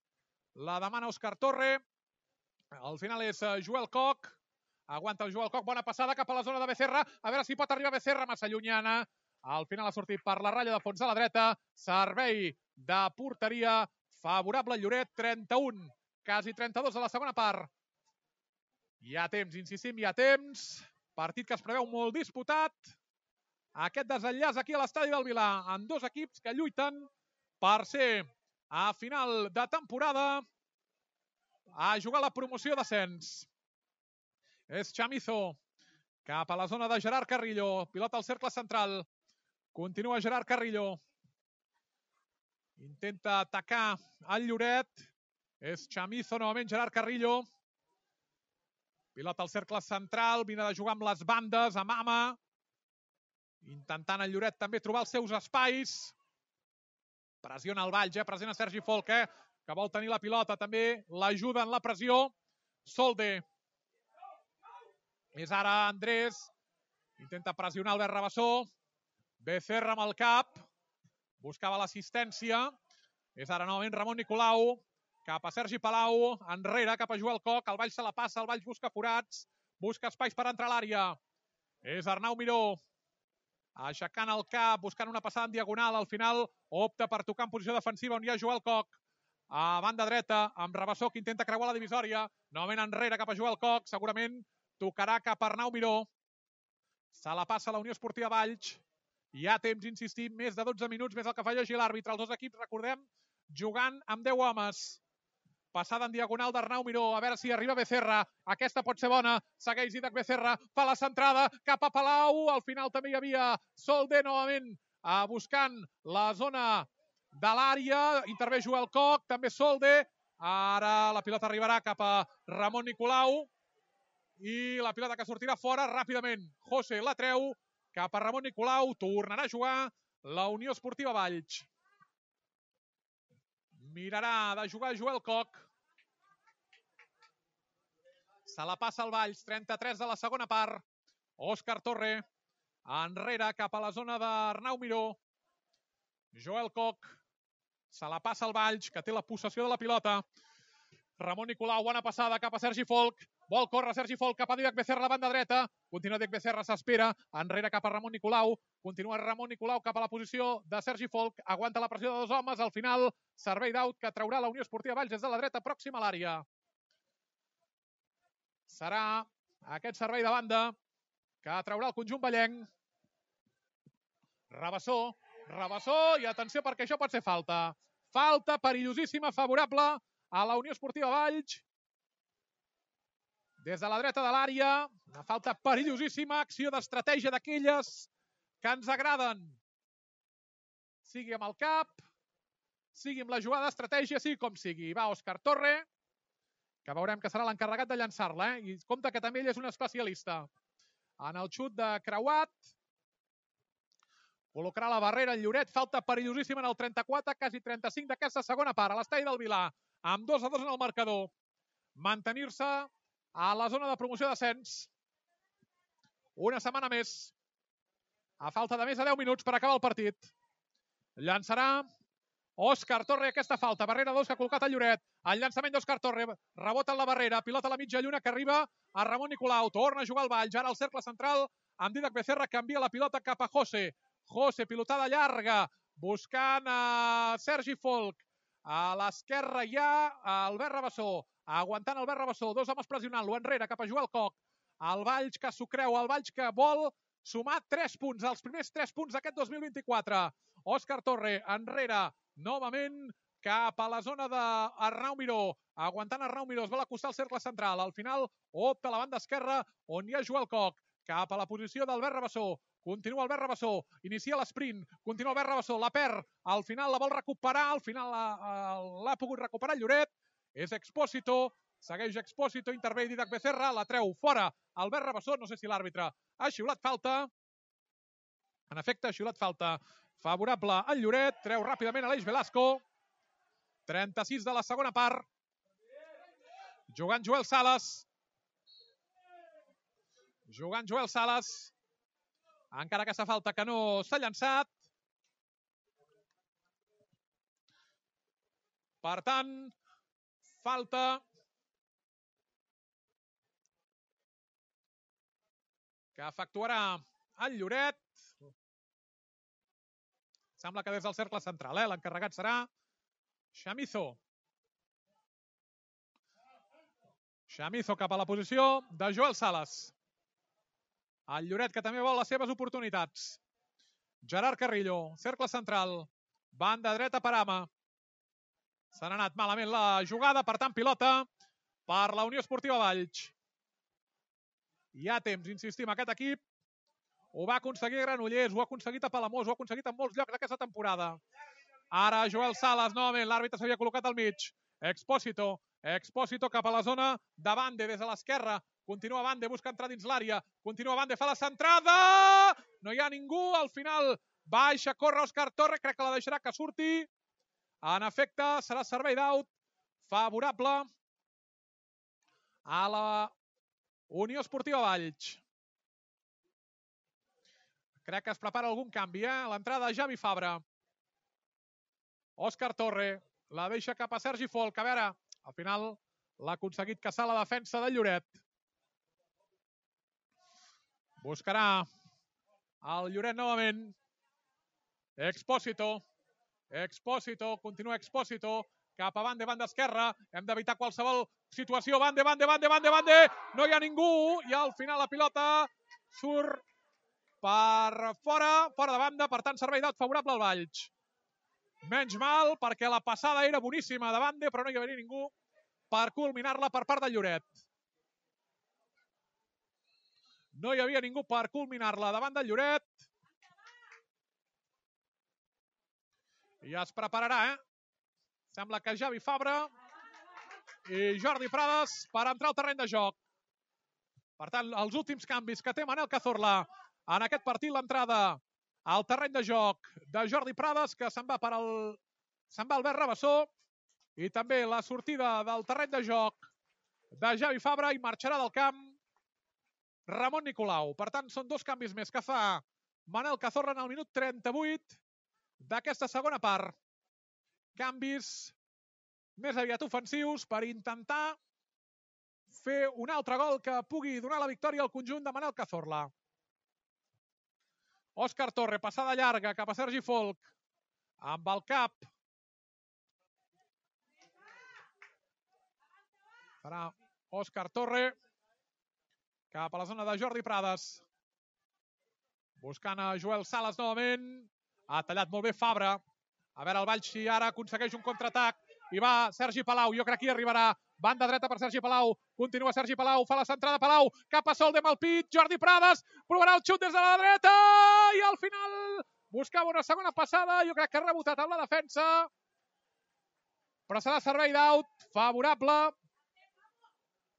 La demana Òscar Torre. Al final és Joel Coc. Aguanta el Joel Coc. Bona passada cap a la zona de Becerra. A veure si pot arribar Becerra, massa llunyana. Al final ha sortit per la ratlla de fons a la dreta. Servei de porteria favorable al Lloret. 31, quasi 32 de la segona part. Hi ha temps, insistim, hi ha temps. Partit que es preveu molt disputat. Aquest desenllaç aquí a l'estadi del Vilà, amb dos equips que lluiten per ser a final de temporada a jugar la promoció d'ascens. És Chamizo cap a la zona de Gerard Carrillo. Pilota al cercle central. Continua Gerard Carrillo. Intenta atacar el Lloret. És Chamizo novament, Gerard Carrillo. Pilota al cercle central. Vine de jugar amb les bandes, amb Ama. Intentant el Lloret també trobar els seus espais. Pressiona el Valls, pressiona Sergi Folk, que vol tenir la pilota. També l'ajuda en la pressió. Solde. És ara Andrés. Intenta pressionar Albert Rabassó. Becerra amb el cap. Buscava l'assistència. És ara novament Ramon Nicolau. Cap a Sergi Palau. Enrere, cap a Joel Coc. El Valls se la passa, el Valls busca forats. Busca espais per entrar a l'àrea. És Arnau Miró. Aixecant el cap, buscant una passada en diagonal. Al final opta per tocar en posició defensiva on hi ha Joel Coc. A banda dreta, amb Rabassó, que intenta creuar la divisòria. Novament enrere cap a Joel Coc. Segurament tocarà cap a Arnau Miró. Se la passa la Unió Esportiva Valls. Hi ha temps, insistim, més de 12 minuts, més el que fa llegir l'àrbitre. Els dos equips, recordem, jugant amb 10 homes. Passada en diagonal d'Arnau Miró. A veure si arriba Becerra. Aquesta pot ser bona. Segueix Didac Becerra. Fa la centrada cap a Palau. Al final també hi havia Solde novament buscant la zona de l'àrea. Intervé Joel Coc. També Solde. Ara la pilota arribarà cap a Ramon Nicolau. I la pilota que sortirà fora ràpidament. José la treu cap a Ramon Nicolau. Tornarà a jugar la Unió Esportiva Valls. Mirarà de jugar Joel Coc. Se la passa al Valls, 33 de la segona part. Òscar Torre, enrere cap a la zona d'Arnau Miró. Joel Coc, se la passa al Valls, que té la possessió de la pilota. Ramon Nicolau, bona passada cap a Sergi Folk. Vol córrer Sergi Folk cap a Dídac Becerra, la banda dreta. Continua Dídac Becerra, s'espera. Enrere cap a Ramon Nicolau. Continua Ramon Nicolau cap a la posició de Sergi Folk. Aguanta la pressió de dos homes. Al final, servei d'out que traurà la Unió Esportiva Valls des de la dreta, pròxima a l'àrea. Serà aquest servei de banda que traurà el conjunt vallenc. Rabassó, i atenció perquè això pot ser falta. Falta perillosíssima, favorable a la Unió Esportiva Valls. Des de la dreta de l'àrea, una falta perillosíssima, acció d'estratègia d'aquelles que ens agraden. Sigui amb el cap, sigui amb la jugada d'estratègia, sigui com sigui. Va Òscar Torre, que veurem que serà l'encarregat de llançar-la, i compte que també ell és un especialista. En el xut de creuat, col·locarà la barrera en Lloret, falta perillosíssima en el 34, quasi 35 d'aquesta segona part, a l'estadi del Vilar, amb 2-2 en el marcador. Mantenir-se a la zona de promoció d'ascens. Una setmana més, a falta de més de 10 minuts per acabar el partit. Llançarà Òscar Torre aquesta falta, barrera 2 que ha col·locat el Lloret. El llançament d'Òscar Torre, rebota en la barrera, pilota a la mitja lluna que arriba a Ramon Nicolau, torna a jugar al Valls, ara al cercle central, amb Dídac Becerra, canvia la pilota cap a José. José, pilotada llarga, buscant a Sergi Folk. A l'esquerra hi ha Albert Rabassó, aguantant Albert Rabassó, dos homes pressionant-lo enrere cap a Joel Coc. El Valls que s'ho creu, el Valls que vol sumar 3 punts, els primers 3 punts d'aquest 2024. Òscar Torre enrere, novament cap a la zona d'Arnau Miró, aguantant Arnau Miró, es vol acostar al cercle central, al final opta a la banda esquerra on hi ha Joel Coc, cap a la posició d'Albert Rabassó. Continua Albert Rabassó, inicia l'esprint, continua Albert Rabassó, la perd, al final la vol recuperar, al final l'ha pogut recuperar el Lloret, és Expósito, segueix Expósito, intervé Dídac Becerra, la treu fora Albert Rabassó, no sé si l'àrbitre ha xiulat falta, en efecte ha xiulat falta favorable al Lloret, treu ràpidament Aleix Velasco, 36 de la segona part, jugant Joel Sales, encara aquesta falta que no s'ha llançat. Per tant, falta que efectuarà el Lloret. Sembla que des del cercle central, l'encarregat serà Chamizo. Chamizo cap a la posició de Joel Sales. El Lloret que també vol les seves oportunitats. Gerard Carrillo, cercle central, banda dreta per Ama. Se n'ha anat malament la jugada, per tant pilota per la Unió Esportiva Valls. Hi ha temps, insistim, aquest equip ho va aconseguir a Granollers, ho ha aconseguit a Palamós, ho ha aconseguit en molts llocs d'aquesta temporada. Ara Joel Sales, novament, l'àrbitre s'havia col·locat al mig. Expósito cap a la zona de Bande, des de l'esquerra. Continua Bande, busca entrar dins l'àrea. Continua Bande, fa la centrada! No hi ha ningú, al final baixa, corre Òscar Torre, crec que la deixarà que surti. En efecte, serà servei d'out favorable a la Unió Esportiva Valls. Crec que es prepara algun canvi, l'entrada de Javi Fabra. Òscar Torre la deixa cap a Sergi Folk. A veure, al final l'ha aconseguit caçar la defensa del Lloret. Buscarà el Lloret novament. Expósito, continua Expósito, cap a Bande, banda esquerra. Hem d'evitar qualsevol situació. Bande. No hi ha ningú i al final la pilota surt per fora de banda. Per tant, servei d'out favorable al Valls. Menys mal, perquè la passada era boníssima de Bande, però no hi havia ningú per culminar-la per part del Lloret. No hi havia ningú per culminar-la davant del Lloret. I es prepararà, Sembla que Javi Fabra i Jordi Prades per entrar al terreny de joc. Per tant, els últims canvis que té Manel Cazorla en aquest partit, l'entrada al terreny de joc de Jordi Prades, que se'n va Albert Rabassó, i també la sortida del terreny de joc de Javi Fabra, i marxarà del camp Ramon Nicolau. Per tant, són 2 canvis més que fa Manel Cazorla en el minut 38 d'aquesta segona part. Canvis més aviat ofensius per intentar fer un altre gol que pugui donar la victòria al conjunt de Manel Cazorla. Òscar Torre, passada llarga cap a Sergi Folch, amb el cap. Farà Òscar Torre cap a la zona de Jordi Prades. Buscant a Joel Sales novament. Ha tallat molt bé Fabra. A veure el Valls si ara aconsegueix un contraatac. I va Sergi Palau. Jo crec que hi arribarà. Banda dreta per Sergi Palau. Continua Sergi Palau. Fa la centrada Palau. Cap a Solde amb el pit. Jordi Prades. Provarà el xut des de la dreta. I al final buscava una segona passada. Jo crec que ha rebotat amb la defensa. Però serà servei d'aut. Favorable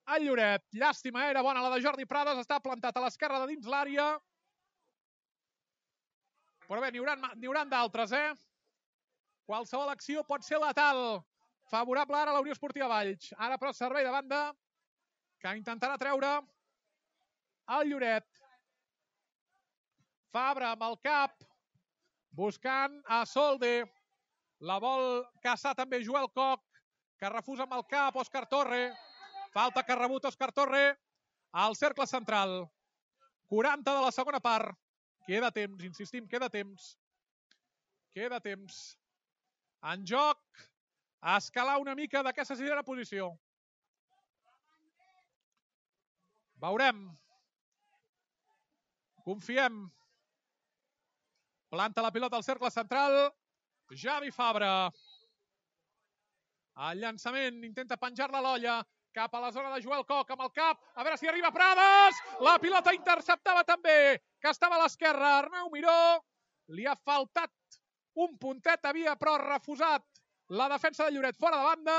al Lloret. Llàstima, era bona la de Jordi Prades. Està plantat a l'esquerra de dins l'àrea. Però bé, n'hi haurà d'altres, Qualsevol acció pot ser letal. Favorable ara a la Unió Esportiva Valls. Ara, però, servei de banda que intentarà treure el Lloret. Fabra amb el cap, buscant a Solde. La vol caçar també Joel Koch, que refusa amb el cap Òscar Torre. Falta que ha rebut Òscar Torre al cercle central. 40 de la segona part. Queda temps, insistim, queda temps. Queda temps. En joc, a escalar una mica d'aquesta sisena posició. Veurem. Confiem. Planta la pilota al cercle central. Javi Fabra. El llançament, intenta penjar-la a l'olla. Cap a la zona de Joel Koch amb el cap. A veure si arriba Prades. La pilota interceptava també, que estava a l'esquerra. Arnau Miró. Li ha faltat un puntet, havia però refusat la defensa de Lloret fora de banda.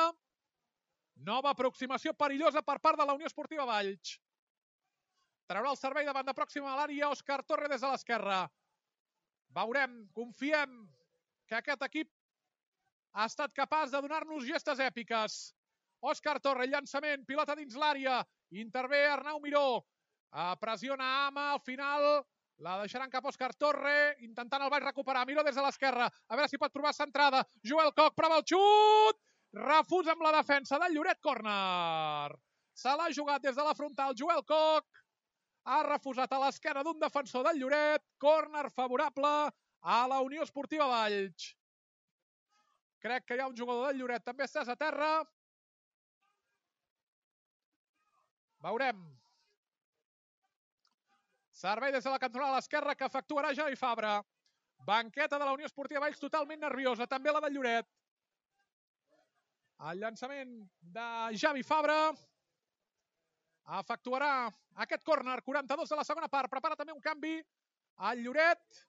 Nova aproximació perillosa per part de la Unió Esportiva Valls. Traurà el servei de banda pròxima a l'àrea Òscar Torre des de l'esquerra. Veurem, confiem que aquest equip ha estat capaç de donar-nos gestes èpiques. Òscar Torre, llançament, pilota dins l'àrea. Intervé Arnau Miró. Pressiona Ama, al final la deixaran cap a Òscar Torre, intentant el Valls recuperar. Miró des de l'esquerra, a veure si pot provar centrada. Joel Koch prova el xut. Refusa amb la defensa del Lloret, córner. Se l'ha jugat des de la frontal Joel Koch. Ha refusat a l'esquerra d'un defensor del Lloret. Córner favorable a la Unió Esportiva Valls. Crec que hi ha un jugador del Lloret també estès a terra. Veurem. Servei des de la cantonada a l'esquerra que efectuarà Javi Fabra. Banqueta de la Unió Esportiva Valls totalment nerviosa, també la del Lloret. El llançament de Javi Fabra efectuarà aquest córner, 42 de la segona part. Prepara també un canvi al Lloret.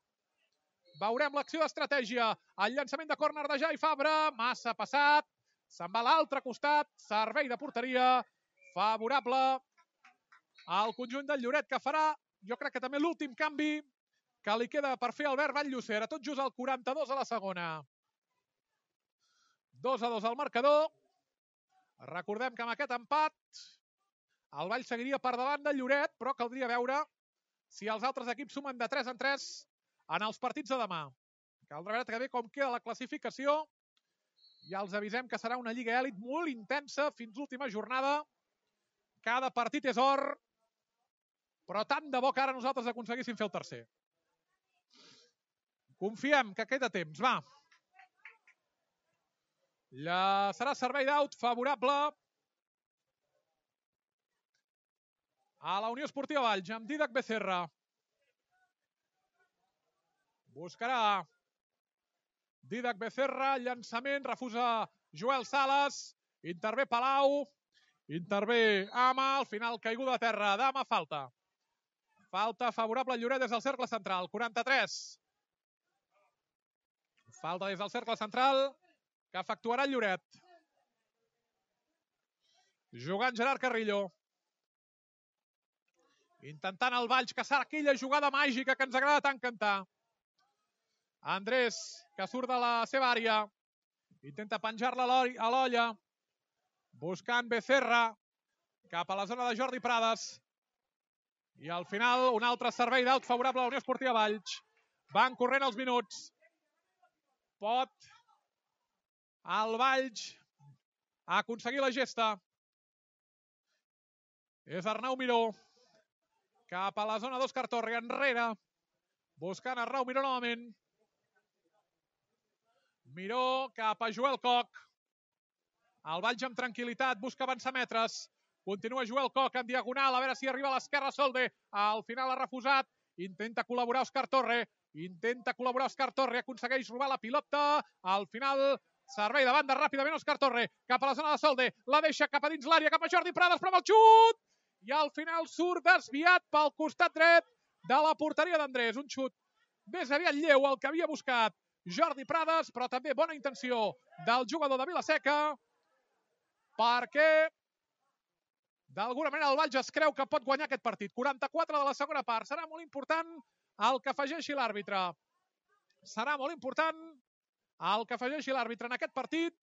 Veurem l'acció d'estratègia. El llançament de córner de Javi Fabra, massa passat. Se'n va a l'altre costat. Servei de porteria favorable al conjunt del Lloret, que farà, jo crec que també l'últim canvi que li queda per fer Albert Vall-Llosera. Tot just al 42 a la segona. 2-2 al marcador. Recordem que amb aquest empat el Valls seguiria per davant del Lloret, però caldria veure si els altres equips sumen de 3 en 3 en els partits de demà. Caldrà veure també com queda la classificació. Ja els avisem que serà una lliga èlit molt intensa fins l'última jornada. Cada partit és or, però tant de bo que ara nosaltres aconseguíssim fer el tercer. Confiem que queda temps, va. Serà servei d'aut favorable a la Unió Esportiva Valls, amb Dídac Becerra. Buscarà Dídac Becerra, llançament, refusa Joel Sales, intervé Palau, intervé Ama, al final caiguda a terra d'Ama, falta. Falta favorable al Lloret des del cercle central, 43. Falta des del cercle central que efectuarà el Lloret. Jugant Gerard Carrillo. Intentant el Valls caçar aquella jugada màgica que ens agrada tant cantar. Andrés, que surt de la seva àrea. Intenta penjar-la a l'olla. Buscant Becerra cap a la zona de Jordi Prades. I al final un altre servei d'aut favorable a la Unió Esportiva Valls. Van corrent els minuts. Pot el Valls a aconseguir la gesta. És Arnau Miró. Cap a la zona d'Òscar Torre, enrere. Buscant Arnau Miró novament. Miró cap a Joel Coc. El Valls amb tranquil·litat, busca avançar metres. Continua Joel Coc en diagonal, a veure si arriba a l'esquerra Solde. Al final ha refusat. Intenta col·laborar Òscar Torre. Aconsegueix robar la pilota. Al final, servei de banda ràpidament Òscar Torre. Cap a la zona de Solde. La deixa cap a dins l'àrea, cap a Jordi Prades, prova el xut! I al final surt desviat pel costat dret de la porteria d'Andrés. Un xut més aviat lleu el que havia buscat Jordi Prades, però també bona intenció del jugador de Vila-seca, perquè d'alguna manera el Valls es creu que pot guanyar aquest partit. 44 de la segona part. Serà molt important el que afegeixi l'àrbitre. En aquest partit.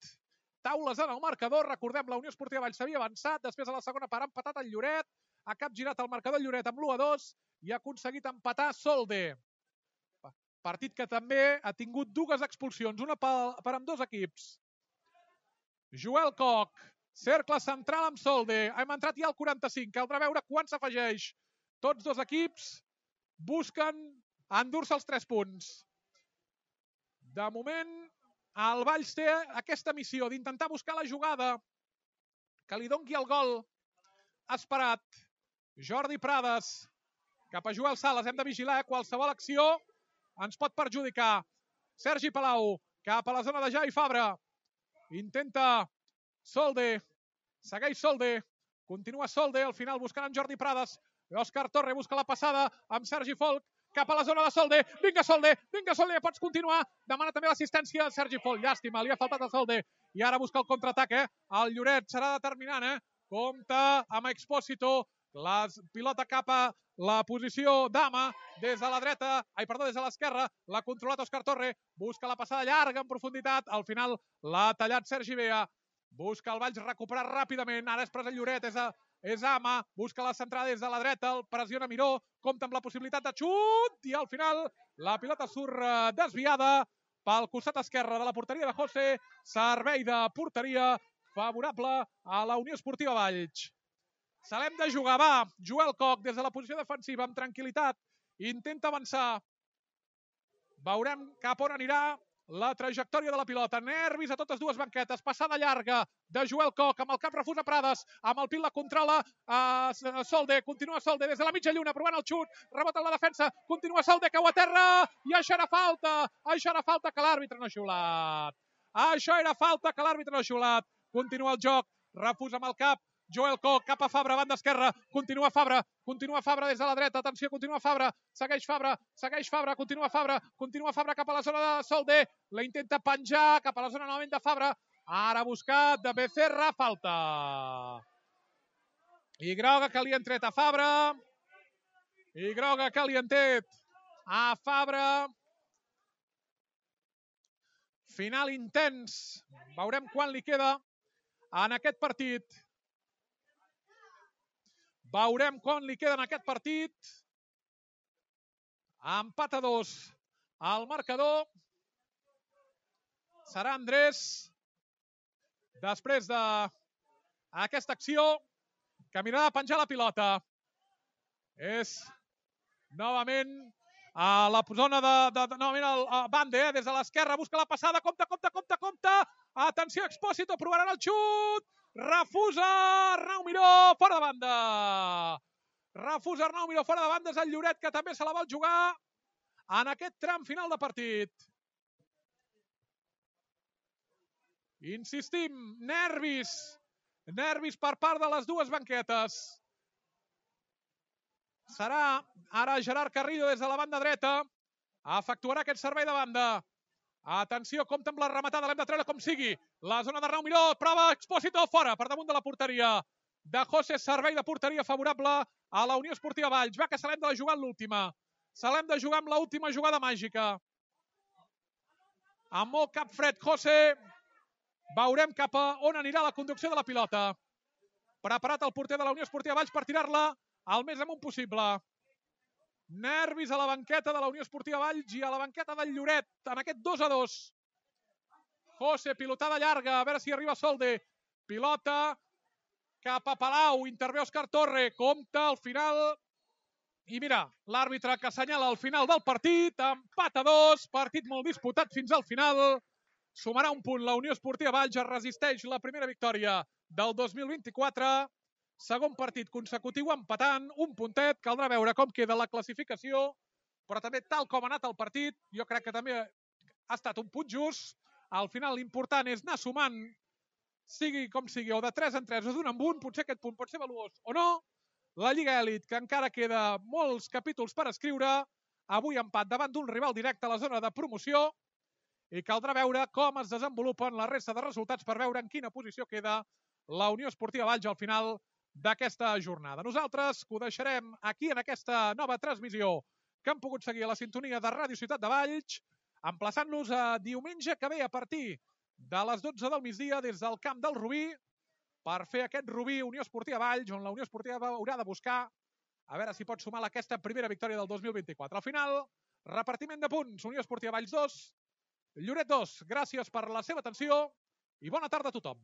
Taules en el marcador. Recordem, la Unió Esportiva Valls s'havia avançat. Després, a la segona part, ha empatat el Lloret. Ha capgirat el marcador el Lloret amb l'1-2 i ha aconseguit empatar Solde. Partit que també ha tingut dues expulsions, una per ambdós equips. Joel Coc. Cercle central amb Solde. Hem entrat ja al 45. Caldrà veure quan s'afegeix. Tots dos equips busquen endur-se els 3 punts. De moment, el Valls té aquesta missió d'intentar buscar la jugada que li doni el gol esperat. Jordi Prades cap a Joel Sales. Hem de vigilar, qualsevol acció ens pot perjudicar. Sergi Palau cap a la zona de Jai Fabra. Intenta Solde, segueix Solde, continua Solde, al final buscant en Jordi Prades. Òscar Torre busca la passada amb Sergi Folch, cap a la zona de Solde. Vinga Solde, ja pots continuar. Demana també l'assistència Sergi Folch. Llàstima, li ha faltat a Solde. I ara busca el contraatac, El Lloret serà determinant, Compta amb Expósito. La pilota cap a la posició d'Ama des de la dreta, des de l'esquerra. L'ha controlat Òscar Torre. Busca la passada llarga en profunditat. Al final l'ha tallat Sergi Bea. Busca el Valls recuperar ràpidament. Ara és pres el Lloret, és Ama. Busca la centrada des de la dreta. El pressiona Miró. Compta amb la possibilitat de xut. I al final la pilota surt desviada pel costat esquerre de la porteria de José. Servei de porteria favorable a la Unió Esportiva Valls. Se l'hem de jugar, va. Joel Coc des de la posició defensiva amb tranquil·litat. Intenta avançar. Veurem cap on anirà la trajectòria de la pilota. Nervis a totes dues banquetes. Passada llarga de Joel Coc. Amb el cap refusa Prades. Amb el pit la controla Solde. Continua Solde des de la mitja lluna provant el xut. Rebota en la defensa. Continua Solde, cau a terra. I això era falta. Que l'àrbitre no ha xiulat. Continua el joc. Refusa amb el cap. Joel Coc cap a Fabra, banda esquerra. Continua Fabra des de la dreta. Atenció, continua Fabra. Segueix Fabra. Continua Fabra cap a la zona de Solde. La intenta penjar cap a la zona novament de Fabra. Ara buscat de Becerra. Falta. I groga que li han tret a Fabra. Final intens. Veurem quan li queda en aquest partit. Empat a 2 al marcador. Serà Andrés, després d'aquesta acció, que mirarà a penjar la pilota. És novament a la zona novament el Bande, des de l'esquerra, busca la passada, compta. Atenció, Expósito, provaran el xut. Refusa Arnau Miró, fora de banda. És el Lloret, que també se la vol jugar en aquest tram final de partit. Insistim, nervis per part de les dues banquetes. Serà ara Gerard Carrillo des de la banda dreta. Efectuarà aquest servei de banda. Atenció, compta amb la rematada, l'hem de treure com sigui. La zona d'Arnau Miró, prova Expósito, fora, per damunt de la porteria de José. Servei de porteria favorable a la Unió Esportiva Valls. Va, que se l'hem de jugar en l'última. Amb l'última jugada màgica. Amb molt cap fred, José. Veurem cap a on anirà la conducció de la pilota. Preparat el porter de la Unió Esportiva Valls per tirar-la el més amunt possible. Nervis a la banqueta de la Unió Esportiva Valls i a la banqueta del Lloret en aquest 2 a 2. José, pilotada llarga, a veure si arriba Solde. pilota cap a Palau, intervé Òscar Torre, compta al final. I mira, l'àrbitre que assenyala el final del partit, empat a 2, partit molt disputat fins al final. Sumarà un punt la Unió Esportiva Valls, es resisteix la primera victòria del 2024. Segon partit consecutiu empatant, un puntet, caldrà veure com queda la classificació, però també tal com ha anat el partit, jo crec que també ha estat un punt just. Al final l'important és anar sumant, sigui com sigui, o de 3 en 3 o d'un en un, potser aquest punt pot ser valuós o no. La Lliga Elit, que encara queda molts capítols per escriure, avui empat davant d'un rival directe a la zona de promoció, i caldrà veure com es desenvolupen la resta de resultats per veure en quina posició queda la Unió Esportiva Valls al final d'aquesta jornada. Nosaltres ho deixarem aquí en aquesta nova transmissió que hem pogut seguir a la sintonia de Ràdio Ciutat de Valls, emplaçant-nos a diumenge que ve a partir de les 12 del migdia des del camp del Rubí per fer aquest Rubí Unió Esportiva Valls, on la Unió Esportiva haurà de buscar a veure si pot sumar aquesta primera victòria del 2024. Al final, repartiment de punts, Unió Esportiva Valls 2, Lloret 2. Gràcies per la seva atenció i bona tarda a tothom.